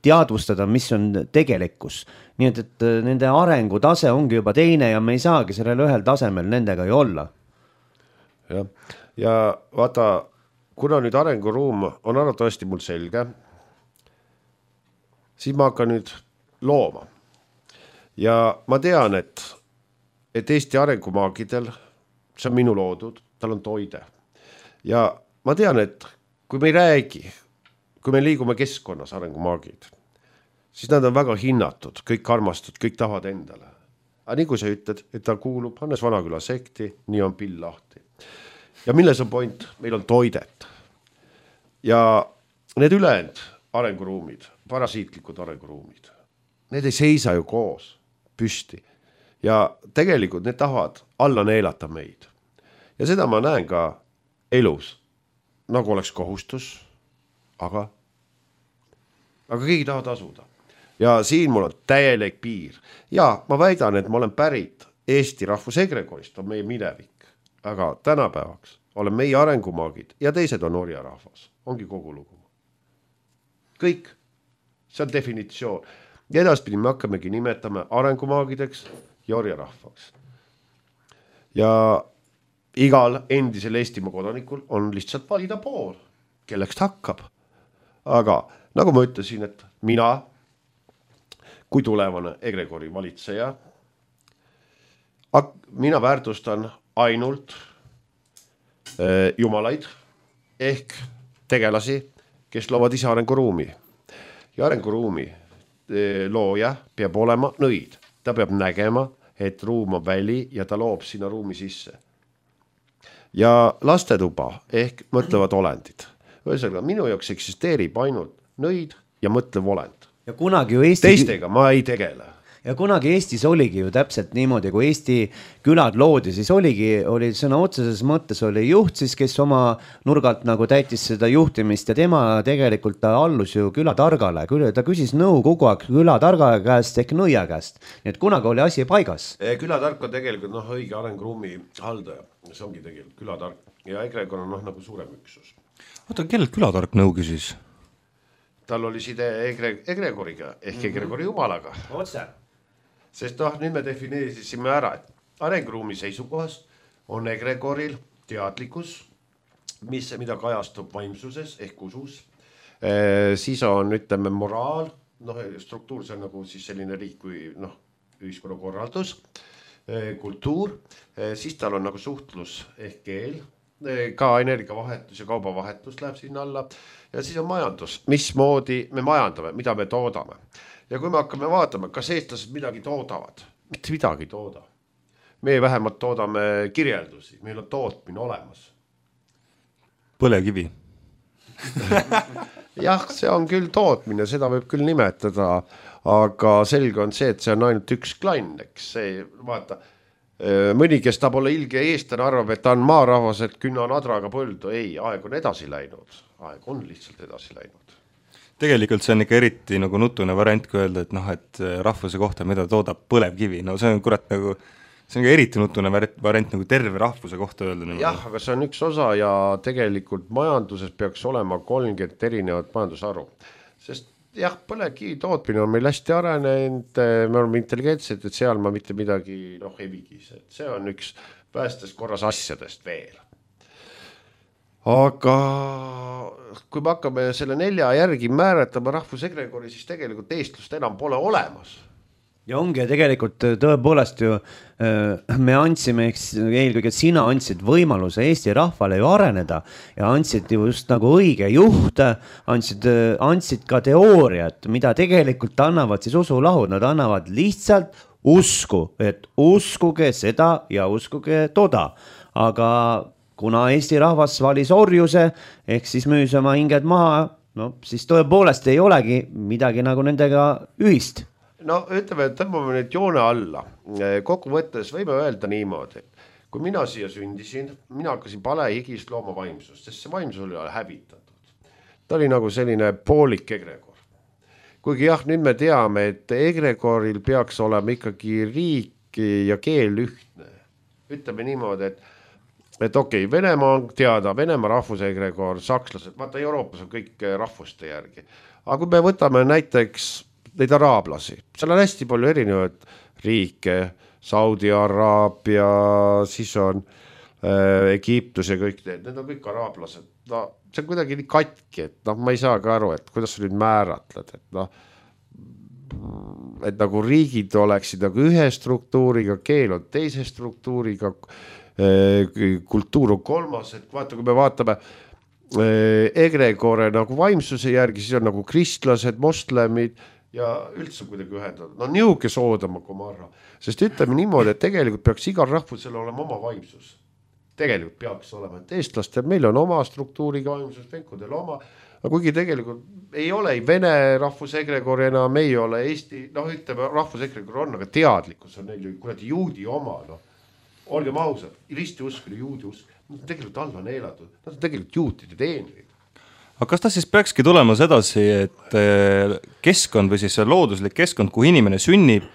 [SPEAKER 1] teadvustada, mis on tegelikkus. Nii et, et nende arengutase ongi juba teine ja me ei saagi sellel ühel tasemel nendega ju olla.
[SPEAKER 3] Ja, ja vaata, kuna nüüd arenguruum on arvatavasti mul selge, siis ma hakkan nüüd looma. Ja ma tean, et, et Eesti arengumaagidel, see on minu loodud, tal on toide. Ja ma tean, et kui me ei räägi, kui me liigume keskkonnas arengumaagid, siis nad on väga hinnatud, kõik armastud, kõik tahavad endale. Aga nii kui sa ütled, et ta kuulub Hannes Vanaküla sekti, nii on pill lahti. Ja milles on point? Meil on toidet. Ja need ülejäänud arenguruumid, parasiitlikud arenguruumid, need ei seisa ju koos, püsti. Ja tegelikult need tahavad alla neelata meid. Ja seda ma näen ka elus, nagu oleks kohustus, aga, aga keegi tahab tasuda. Ja siin mul on täielik piir. Ja ma väidan, et ma olen pärit Eesti rahvusegregorist, on meie minevik. Aga tänapäevaks olen meie arengumaagid ja teised on orja rahvas. Ongi kogu lugu. Kõik. See on definitsioon. Ja edaspidi me hakkamegi nimetame arengumaagideks ja orja rahvaks. Ja igal endisel Eestimaa kodanikul on lihtsalt valida pool, kelleks ta hakkab. Aga nagu ma ütlesin, et mina kui tulevane egregori valitseja, mina väärtustan ainult äh, jumalaid ehk tegelasi, kes loovad ise arenguruumi. Ja arenguruumi äh, looja peab olema nõid. Ta peab nägema, et ruum on väli ja ta loob sinna ruumi sisse. Ja lastetuba ehk mõtlevad olendid. Ühesõnaga, minu jaoks eksisteerib ainult nõid ja mõtlev olend.
[SPEAKER 1] Ja kunagi ju Eesti...
[SPEAKER 3] Teistega ma ei tegele.
[SPEAKER 1] Ja kunagi Eestis oligi ju täpselt niimoodi, kui Eesti külad loodi, siis oligi, oli sõna otseses mõttes oli juht siis, kes oma nurgalt nagu täitis seda juhtimist ja tema tegelikult ta allus ju külatargale, ta küsis nõu kogu aeg külatarga käest ehk nõia käest, nii et kunagi oli asi paigas.
[SPEAKER 3] Külatark on tegelikult noh, õige arenguruumi haldaja, see ongi tegelikult külatark ja egregor on noh, nagu suurem üksus.
[SPEAKER 2] Oota, kellelt külatark nõu küsis?
[SPEAKER 3] Tal oli side egre, egregoriga ehk egregori jumalaga.
[SPEAKER 1] Otse.
[SPEAKER 3] Sest noh, nüüd me defineerisime ära, et arenguruumi seisukohast on egregoril teadlikkus, mis, mida kajastub vaimsuses ehk usus. E, siis on, ütleme, moraal, noh, struktuur, see on nagu siis selline riik kui noh, ühiskonnakorraldus, e, kultuur, e, siis tal on nagu suhtlus ehk keel, e, ka energiavahetus ja kaubavahetus läheb sinna alla ja siis on majandus, mismoodi me majandame, mida me toodame. Ja kui me hakkame vaatama, kas eestlased midagi toodavad, mitte midagi tooda. Me vähemalt toodame kirjeldusi, meil on tootmine olemas.
[SPEAKER 2] Põlekivi.
[SPEAKER 3] Jah, see on küll tootmine, seda võib küll nimetada, aga selge on see, et see on ainult üks klann, eks see, vaata, mõni, kes ta pole ilge eestlane, arvab, et ta on maarahvas, et künna nadraga põldu. Ei, aeg on edasi läinud. Aeg on lihtsalt edasi läinud.
[SPEAKER 2] Tegelikult see on ikka eriti nagu nutune variant, kui öelda, et noh, et rahvuse kohta, mida toodab põlevkivi. No see on kurat nagu, see on ka eriti nutune variant nagu terve rahvuse kohta öelda. Niimoodi.
[SPEAKER 3] Jah, aga see on üks osa ja tegelikult majanduses peaks olema kolmkümmend erinevat majandusaru. Sest jah, põlevkivi tootmine on meil hästi arenenud, me oleme intelligentsed, et seal ma mitte midagi noh, ei vigis. See on üks päästes korras asjadest veel. Aga kui me hakkame selle nelja järgi määratama rahvusegregori, siis tegelikult eestlust enam pole olemas.
[SPEAKER 1] Ja ongi tegelikult tõepoolest ju me andsime, eelkõige sina andsid võimaluse Eesti rahvale ju areneda ja andsid just nagu õige juht, andsid, andsid ka teooriat, mida tegelikult annavad siis usulahud, nad annavad lihtsalt usku, et uskuge seda ja uskuge toda, aga kuna Eesti rahvas valis orjuse, ehk siis müüs oma hinged maha, no siis tõepoolest ei olegi midagi nagu nendega ühist.
[SPEAKER 3] No ütleme, et tõmbame nüüd joone alla. Kokku võttes võime öelda niimoodi, et kui mina siia sündisin, mina hakkasin palehigist looma vaimsust, sest see vaimsus oli hävitatud. Ta oli nagu selline poolik egregor. Kuigi jah, nüüd me teame, et egregoril peaks olema ikkagi riik ja keel ühtne. Ütleme niimoodi, et et okei, okay, Venemaa on teada, Venemaa rahvusegregor, sakslased, vaata Euroopas on kõik rahvuste järgi. Aga kui me võtame näiteks neid araablasi, seal on hästi palju erinevaid riike, Saudi Araabia, siis on äh, Egiptus ja kõik need, need on kõik araablased. No, see on kuidagi nii katki, et no, ma ei saa ka aru, et kuidas sa nüüd määratled, et noh, et nagu riigid oleksid nagu ühe struktuuriga, keel on teise struktuuriga, kultuur on kolmas, et vaata, kui me vaatame egregore nagu vaimsuse järgi, siis on nagu kristlased, moslemid ja üldse kuidagi ühendada. No niuke soodama komarra, sest ütleme niimoodi, et tegelikult peaks igal rahvusel olema oma vaimsus. Tegelikult peaks olema, et eestlastel meil on oma struktuuriga vaimsus, venkudel oma, aga kuigi tegelikult ei ole ei vene rahvusegregor enam, ei ole Eesti, noh ütleme rahvusegregor on, aga teadlikkus on neil ju kuradi juudi oma, noh. Olgem ausad, risti usk oli juudi usk. Nad on tegelikult alla neelatud. Nad on tegelikult juutide teenrid.
[SPEAKER 2] Aga kas ta siis peakski tulema sedasi, et keskkond või siis see looduslik keskkond, kui inimene sünnib,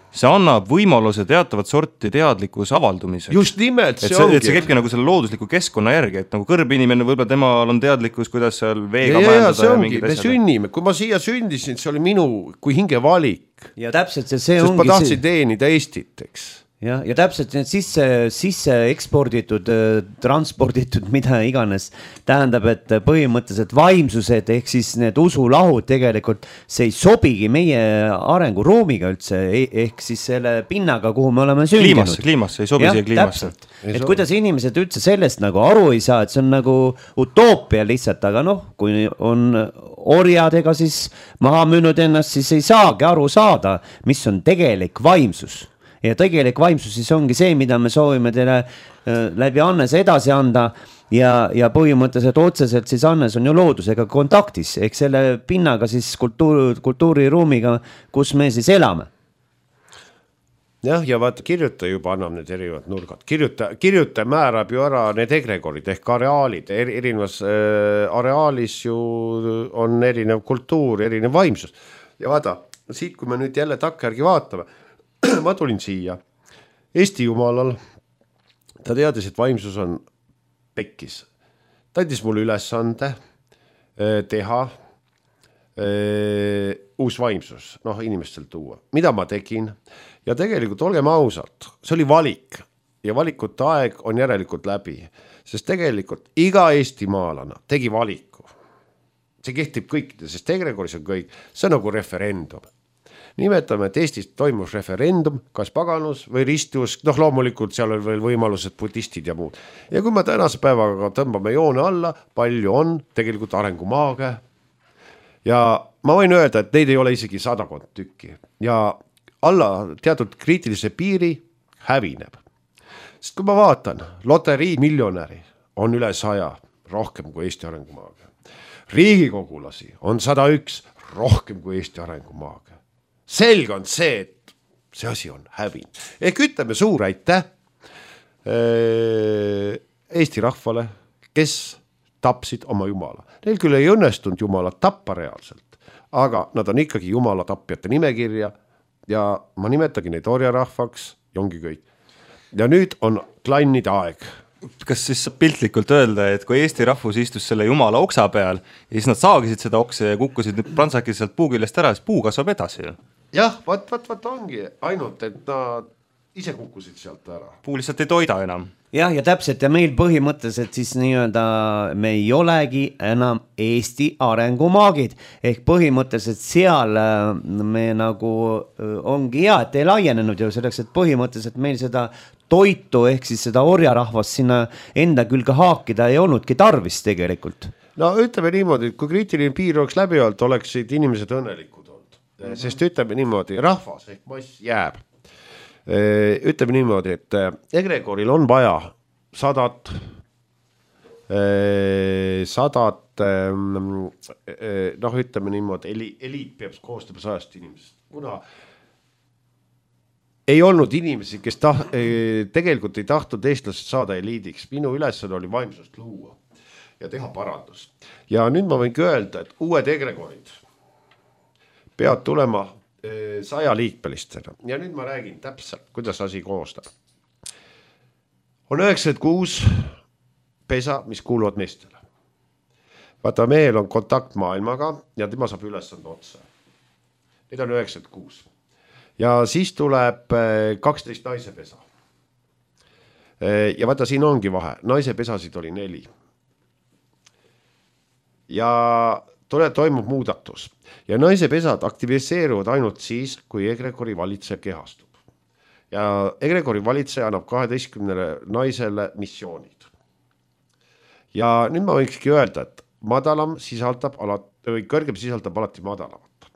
[SPEAKER 2] see annab võimaluse teatavat sorti teadlikus avaldumiseks?
[SPEAKER 3] Just nimelt see,
[SPEAKER 2] see
[SPEAKER 3] ongi.
[SPEAKER 2] Et see käibki nagu selle loodusliku keskkonna järgi, et nagu kõrb inimene, võib-olla temal on teadlikkus, kuidas seal veega
[SPEAKER 3] ja,
[SPEAKER 2] majandada.
[SPEAKER 3] Ja, see ongi, me sünnime. Kui ma siia sündisin, see oli minu kui hinge valik.
[SPEAKER 1] Ja täpselt see, see
[SPEAKER 3] Sest
[SPEAKER 1] ongi
[SPEAKER 3] ma tahtsin see... teenida Eestit, eks.
[SPEAKER 1] Ja, ja täpselt need sisse, sisse eksporditud, transporditud, mida iganes tähendab, et põhimõtteliselt vaimsused ehk siis need usulahud tegelikult see ei sobigi meie arenguruumiga üldse, ehk siis selle pinnaga, kuhu me oleme sündinud.
[SPEAKER 2] Kliimasse, kliimasse, ei sobi
[SPEAKER 1] ja,
[SPEAKER 2] siia kliimasse.
[SPEAKER 1] Et kuidas inimesed üldse sellest nagu aru ei saa, et see on nagu utoopia lihtsalt, aga noh, kui on orjad, ega siis maha müünud ennast, siis ei saagi aru saada, mis on tegelik vaimsus. Ja tegelik vaimsus siis ongi see, mida me soovime teile läbi Annes edasi anda ja, ja põhimõtteliselt otseselt siis Annes on ju loodusega kontaktis, ehk selle pinnaga siis kultuur, kultuuriruumiga, kus me siis elame.
[SPEAKER 3] Jah, ja vaata, kirjuta juba annab need erinevad nurgad. Kirjuta, kirjuta määrab ju ära need egregorid ehk areaalid. Erinevas äh, areaalis ju on erinev kultuur, erinev vaimsus. Ja vaata, siit kui me nüüd jälle takkajärgi vaatame, ma tulin siia Eesti jumalal, ta teadis, et vaimsus on pekkis. Ta andis mulle ülesande teha ee, uus vaimsus, noh inimestel tuua. Mida ma tegin? Ja tegelikult olgem ausalt, see oli valik ja valikute aeg on järelikult läbi, sest tegelikult iga Eesti maalana tegi valiku. See kehtib kõikide, sest egregoris on kõik, see on nagu referendum. Nimetame, et Eestis toimus referendum, kas paganus või ristiusk, noh loomulikult seal on veel võimalused budistid ja muud. Ja kui me tänase päevaga tõmbame joone alla, palju on tegelikult arengumaage. Ja ma võin öelda, et neid ei ole isegi sadakond tükki. Ja alla teatud kriitilise piiri hävineb. Sest kui ma vaatan, loterii miljonäri on üle saja, rohkem kui Eesti arengumaage. Riigikogulasi on sada üks, rohkem kui Eesti arengumaage. Selge on see, et see asi on hävinud. Ehk ütleme suur aitäh Eesti rahvale, kes tapsid oma jumala. Neil küll ei õnnestunud jumalat tappa reaalselt, aga nad on ikkagi jumala tapjate nimekirja ja ma nimetagi neid orjarahvaks ja ongi kõik. Ja nüüd on klannide aeg.
[SPEAKER 2] Kas siis saab piltlikult öelda, et kui Eesti rahvus istus selle jumala oksa peal ja siis nad saagisid seda oksa ja kukkusid prantsakid sealt puu küljest ära, siis puu kasvab edasi.
[SPEAKER 3] Jah, vaat, vaat, vaat ongi ainult, et nad ise kukkusid sealt ära.
[SPEAKER 2] Puu lihtsalt ei toida enam.
[SPEAKER 1] Jah, ja täpselt ja meil põhimõtteliselt siis nii-öelda me ei olegi enam Eesti arengumaagid ehk põhimõtteliselt seal me nagu ongi hea, et ei laienenud ju selleks, et põhimõtteliselt meil seda toitu ehk siis seda orjarahvast sinna enda külge haakida ei olnudki tarvis tegelikult.
[SPEAKER 3] No ütleme niimoodi, et kui kriitiline piir oleks läbi olnud, oleksid inimesed õnnelikud olnud. Mm-hmm. Sest ütleme niimoodi, rahvas ehk mass jääb. Ütleme niimoodi, et egregoril on vaja sadat, sadat, noh ütleme niimoodi, eliit peab koostama sajast inimesest, kuna ei olnud inimesi, kes ta, tegelikult ei tahtnud eestlased saada eliidiks. Minu ülesanne oli vaimsust luua ja teha parandus. Ja nüüd ma võingi öelda, et uued egregorid peavad tulema saja liikmelistena. Ja nüüd ma räägin täpselt, kuidas asi koostab. On üheksakümmend kuus pesa, mis kuuluvad meestele. Vaata, mehel on kontakt maailmaga ja tema saab ülesande otsa. Need on üheksakümmend kuus. Ja siis tuleb kaksteist naise pesa. Ja vaata, siin ongi vahe. Naise pesasid oli neli. Ja tule toimub muudatus ja naise pesad aktiviseeruvad ainult siis, kui egregori valitseja kehastub. Ja egregori valitseja annab kaheteistkümnele naisele missioonid. Ja nüüd ma võikski öelda, et madalam sisaldab alati, või kõrgem sisaldab alati madalamat.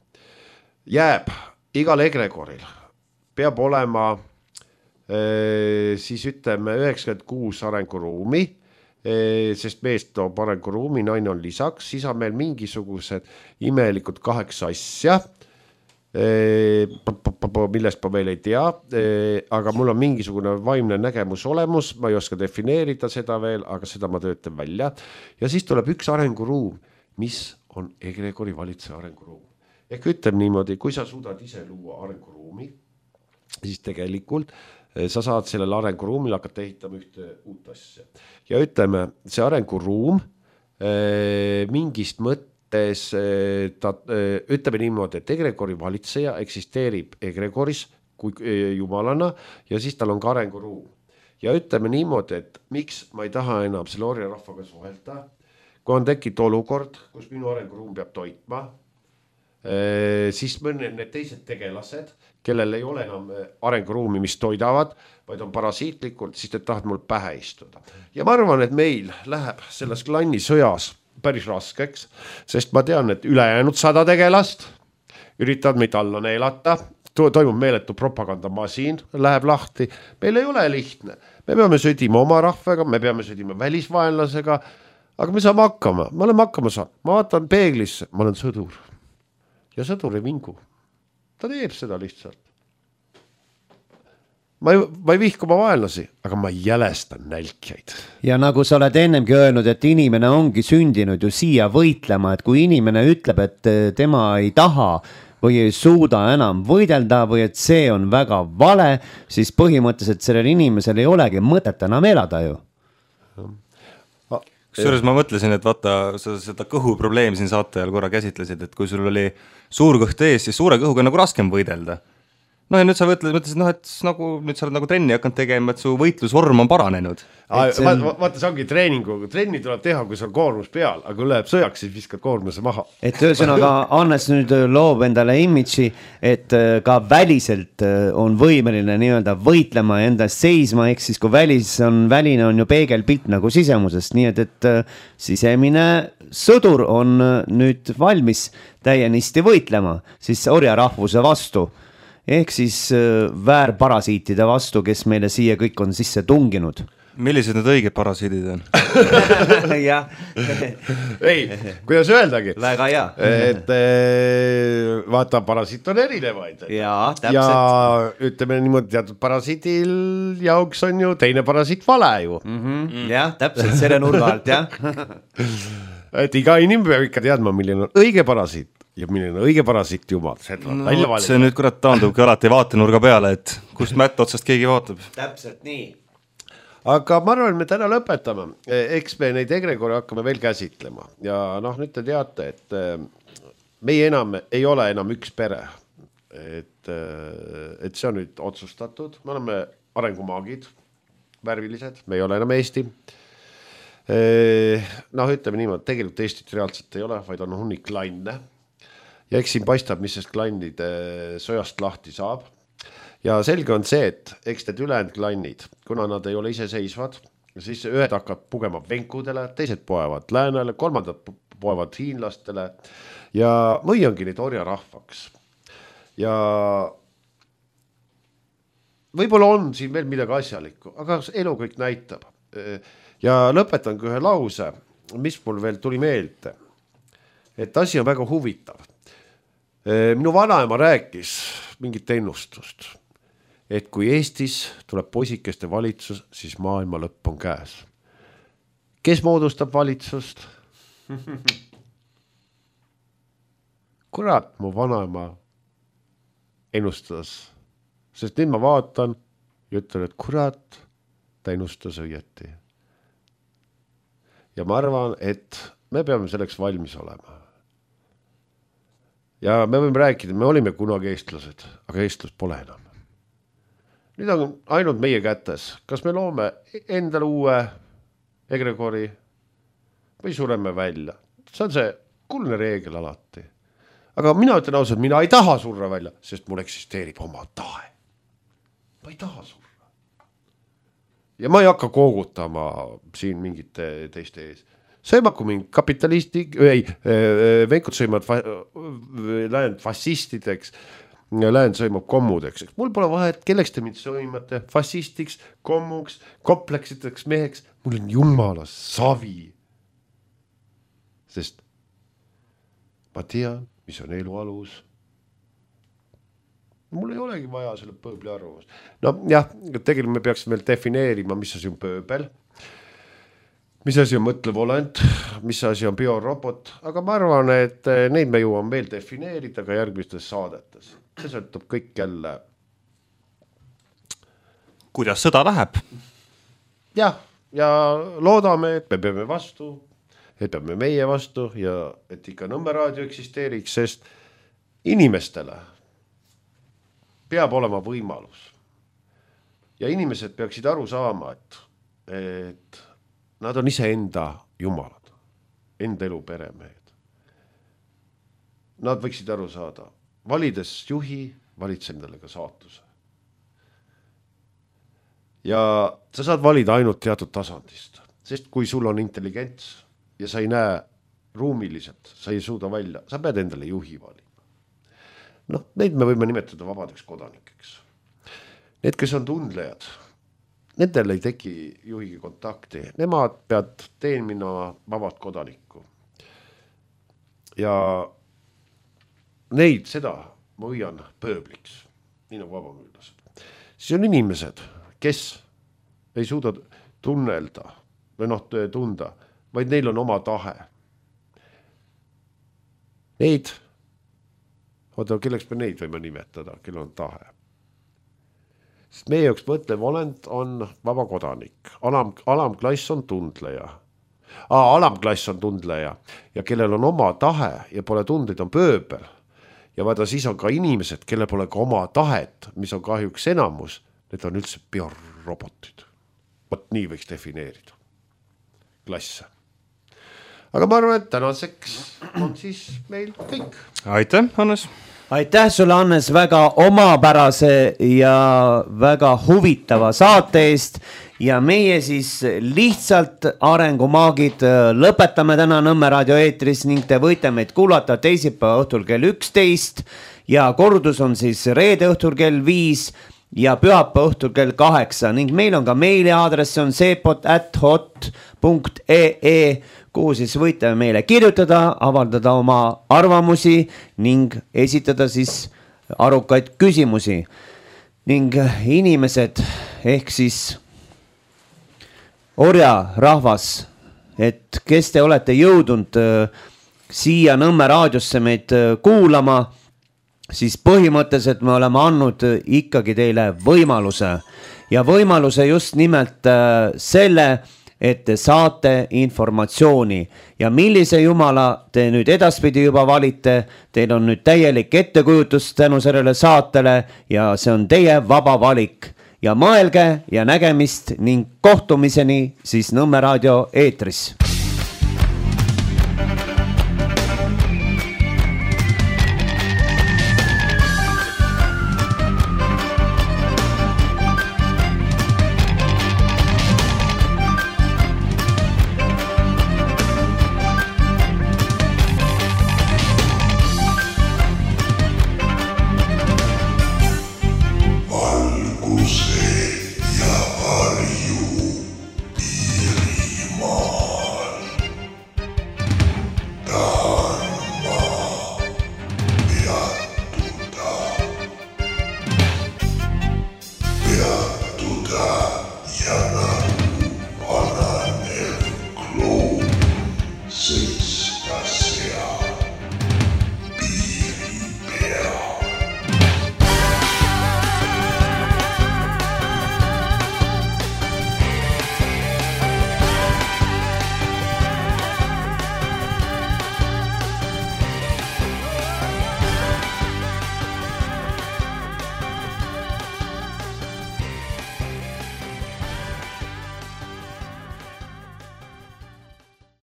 [SPEAKER 3] Jääb igal egregoril peab olema siis ütleme üheksakümmend kuus arenguruumi, sest meest toob arenguruumi, naine on lisaks, siis on meil mingisugused imelikud kaheksa asja, millest ma veel ei tea, aga mul on mingisugune vaimne nägemus olemus, ma ei oska defineerida seda veel, aga seda ma töötan välja. Ja siis tuleb üks arenguruum, mis on egregori valitseja arenguruum. Ehk ütleme niimoodi, kui sa suudad ise luua arenguruumi, siis tegelikult sa saad sellel arenguruumil hakata ehitama ühte uut asja. Ja ütleme, see arenguruum mingist mõttes, ta, ütleme niimoodi, et egregori valitseja eksisteerib egregoris kui jumalana ja siis tal on ka arenguruum. Ja ütleme niimoodi, et miks ma ei taha enam selle orja rahvaga suhelda, kui on tekkinud olukord, kus minu arenguruum peab toitma, siis mõned need teised tegelased, kellel ei ole enam arenguruumi, mis toidavad, vaid on parasiitlikult, siis need tahavad mul pähe istuda. Ja ma arvan, et meil läheb selles klanni sõjas päris raskeks, sest ma tean, et ülejäänud sada tegelast üritavad meid alla neelata, toimub meeletu propagandamasiin, läheb lahti. Meil ei ole lihtne. Me peame sõdima oma rahvaga, me peame sõdima välisvaenlasega, aga me saame hakkama. Me oleme hakkama saanud. Ma vaatan peeglisse, ma olen sõdur. Ja sõdur ei vingu. Ta teeb seda lihtsalt. Ma ei, ma ei vihku oma vaenlasi, aga ma jälestan nälkjaid.
[SPEAKER 1] Ja nagu sa oled ennemgi öelnud, et inimene ongi sündinud ju siia võitlema, et kui inimene ütleb, et tema ei taha või ei suuda enam võidelda või et see on väga vale, siis põhimõtteliselt sellel inimesel ei olegi mõtet enam elada ju.
[SPEAKER 2] Kusjuures ma mõtlesin, et vaata, sa seda kõhu probleemi siin saate ajal korra käsitlesid, et kui sul oli suur kõht ees, siis suure kõhuga nagu raskem võidelda. No ja nüüd sa mõtlesid, noh, et nagu, nüüd sa oled nagu trenni hakanud tegema, et su võitlusvorm on paranenud.
[SPEAKER 3] See on... Vaata, see ongi treeningu. Trenni tuleb teha, kui see on koormus peal, aga kui läheb sõjaks, siis viskad koormuse maha.
[SPEAKER 1] Et ühesõnaga Annes nüüd loob endale imitsi, et ka väliselt on võimeline nii-öelda võitlema ja endast seisma, ehk siis kui välis on, väline on ju peegelpilt nagu sisemusest, nii et, et sisemine sõdur on nüüd valmis täienisti võitlema siis orja rahvuse vastu. ehk siis väärparasiitide vastu, kes meile siia kõik on sisse tunginud.
[SPEAKER 2] Millised need õiged parasiidid on?
[SPEAKER 1] jah.
[SPEAKER 3] ei, kuidas öeldagi.
[SPEAKER 1] Väga hea.
[SPEAKER 3] Et vaata, parasiit on erinevaid.
[SPEAKER 1] Jaa, täpselt.
[SPEAKER 3] Ja ütleme niimoodi, teatud parasiidil jaoks on ju teine parasiit vale ju.
[SPEAKER 1] Mm-hmm. Jah, täpselt selle nurga alt, jah.
[SPEAKER 3] et iga inimene peab ikka teadma, milline on õige parasiit ja milline on õige parasiit jumal.
[SPEAKER 2] No, see nüüd kurat taandubki alati vaatenurga peale, et kust mätt otsast keegi vaatab.
[SPEAKER 1] Täpselt nii.
[SPEAKER 3] Aga ma arvan, me täna lõpetame. Eks me neid egregore hakkame veel käsitlema. Ja noh, nüüd te teate, et meie enam ei ole enam üks pere. Et, et see on nüüd otsustatud. Me oleme arengumaagid, värvilised, me ei ole enam Eesti. Noh, ütleme niimoodi, tegelikult Eestit reaalselt ei ole, vaid on hunnik klanne. Ja eks siin paistab, mis sest klannide sõjast lahti saab. Ja selge on see, et eks need ülejäänud klannid, kuna nad ei ole iseseisvad, siis ühed hakkab pugema venkudele, teised poevad läänele, kolmandad poevad hiinlastele ja või ongi neid orja rahvaks. Ja võib-olla on siin veel midagi asjalikku, aga elu kõik näitab. Ja lõpetan ühe lause, mis mul veel tuli meelde, et asi on väga huvitav. Minu vanaema rääkis mingit ennustust. Et kui Eestis tuleb poisikeste valitsus, siis maailma lõpp on käes. Kes moodustab valitsust? Kurat, mu vanaema ennustas. Sest nüüd ma vaatan ja ütlen, et kurat, ta ennustas õieti. Ja ma arvan, et me peame selleks valmis olema. Ja me võime rääkida, me olime kunagi eestlased, aga eestlus pole enam. Nüüd on ainult meie kätes. Kas me loome endale uue egregori või sureme välja? See on see kuldne reegel alati. Aga mina ütlen ausalt, mina ei taha surra välja, sest mul eksisteerib oma tahe. Ma ei taha surra. Ja ma ei hakka koogutama siin mingite teiste ees. Sõimaku mind kapitalisti, ei, venkud sõimad läinud fassistideks, läinud sõimab kommudeks. Mul pole vahet, kelleks te mind sõimate, fassistiks, kommuks, kompleksiteks meheks. Mul on jumala savi. Sest ma tean, mis on elu alus. Mul ei olegi vaja selle pööbli arvamust. No jah, tegelikult me peaksime veel defineerima, mis asi on pööbel, mis asi on mõtlev olend, mis asi on biorobot, aga ma arvan, et neid me jõuame veel defineerida ka järgmistes saadetes. See sõltub kõik jälle.
[SPEAKER 2] Kuidas sõda läheb?
[SPEAKER 3] Jah, ja loodame, et me peame vastu, et peame meie vastu ja et ikka Nõmme raadio eksisteeriks, sest inimestele peab olema võimalus. Ja inimesed peaksid aru saama, et, et nad on ise enda jumalad, enda elu peremehed. Nad võiksid aru saada. Valides juhi, valid endale ka saatuse. Ja sa saad valida ainult teatud tasandist, sest kui sul on intelligents ja sa ei näe ruumiliselt, sa ei suuda välja, sa pead endale juhi valima. Noh, neid me võime nimetada vabadeks kodanikeks. Need, kes on tundlejad, nendel ei teki juhigi kontakti, nemad pead teenima vabad kodanikku. Ja neid, seda ma hoian pööbliks, nii nagu vabamüülased. Siis on inimesed, kes ei suuda tunnelda või noh, tunda, vaid neil on oma tahe. Neid, oota, kelleks me neid võime nimetada, kellel on tahe. Sest meie jaoks mõtlev olend on vaba kodanik. Alam, alamklass on tundleja. Aa, alamklass on tundleja ja kellel on oma tahe ja pole tundeid, on pööbel. Ja vaata, siis on ka inimesed, kelle pole ka oma tahet, mis on kahjuks enamus, need on üldse biorobotid. Vot nii võiks defineerida klasse. Aga ma arvan, et tänaseks on siis meil kõik.
[SPEAKER 2] Aitäh, Hannes!
[SPEAKER 1] Aitäh sulle, Hannes, väga omapärase ja väga huvitava saate eest ja meie siis lihtsalt arengumaagid lõpetame täna Nõmme raadio eetris ning te võite meid kuulata teisipäeva õhtul kell üksteist ja kordus on siis reede õhtul kell viis ja pühapäeva õhtul kell kaheksa ning meil on ka meiliaadress, see on seepot at hot punkt ee, kuhu siis võite meile kirjutada, avaldada oma arvamusi ning esitada siis arukaid küsimusi. Ning inimesed ehk siis orja rahvas, et kes te olete jõudnud siia Nõmme raadiosse meid kuulama, siis põhimõtteliselt me oleme andnud ikkagi teile võimaluse ja võimaluse just nimelt selle, et te saate informatsiooni ja millise jumala te nüüd edaspidi juba valite, teil on nüüd täielik ettekujutus tänu sellele saatele ja see on teie vaba valik ja mõelge ja nägemist ning kohtumiseni siis Nõmme raadio eetris.
[SPEAKER 4] Valguse ja varju.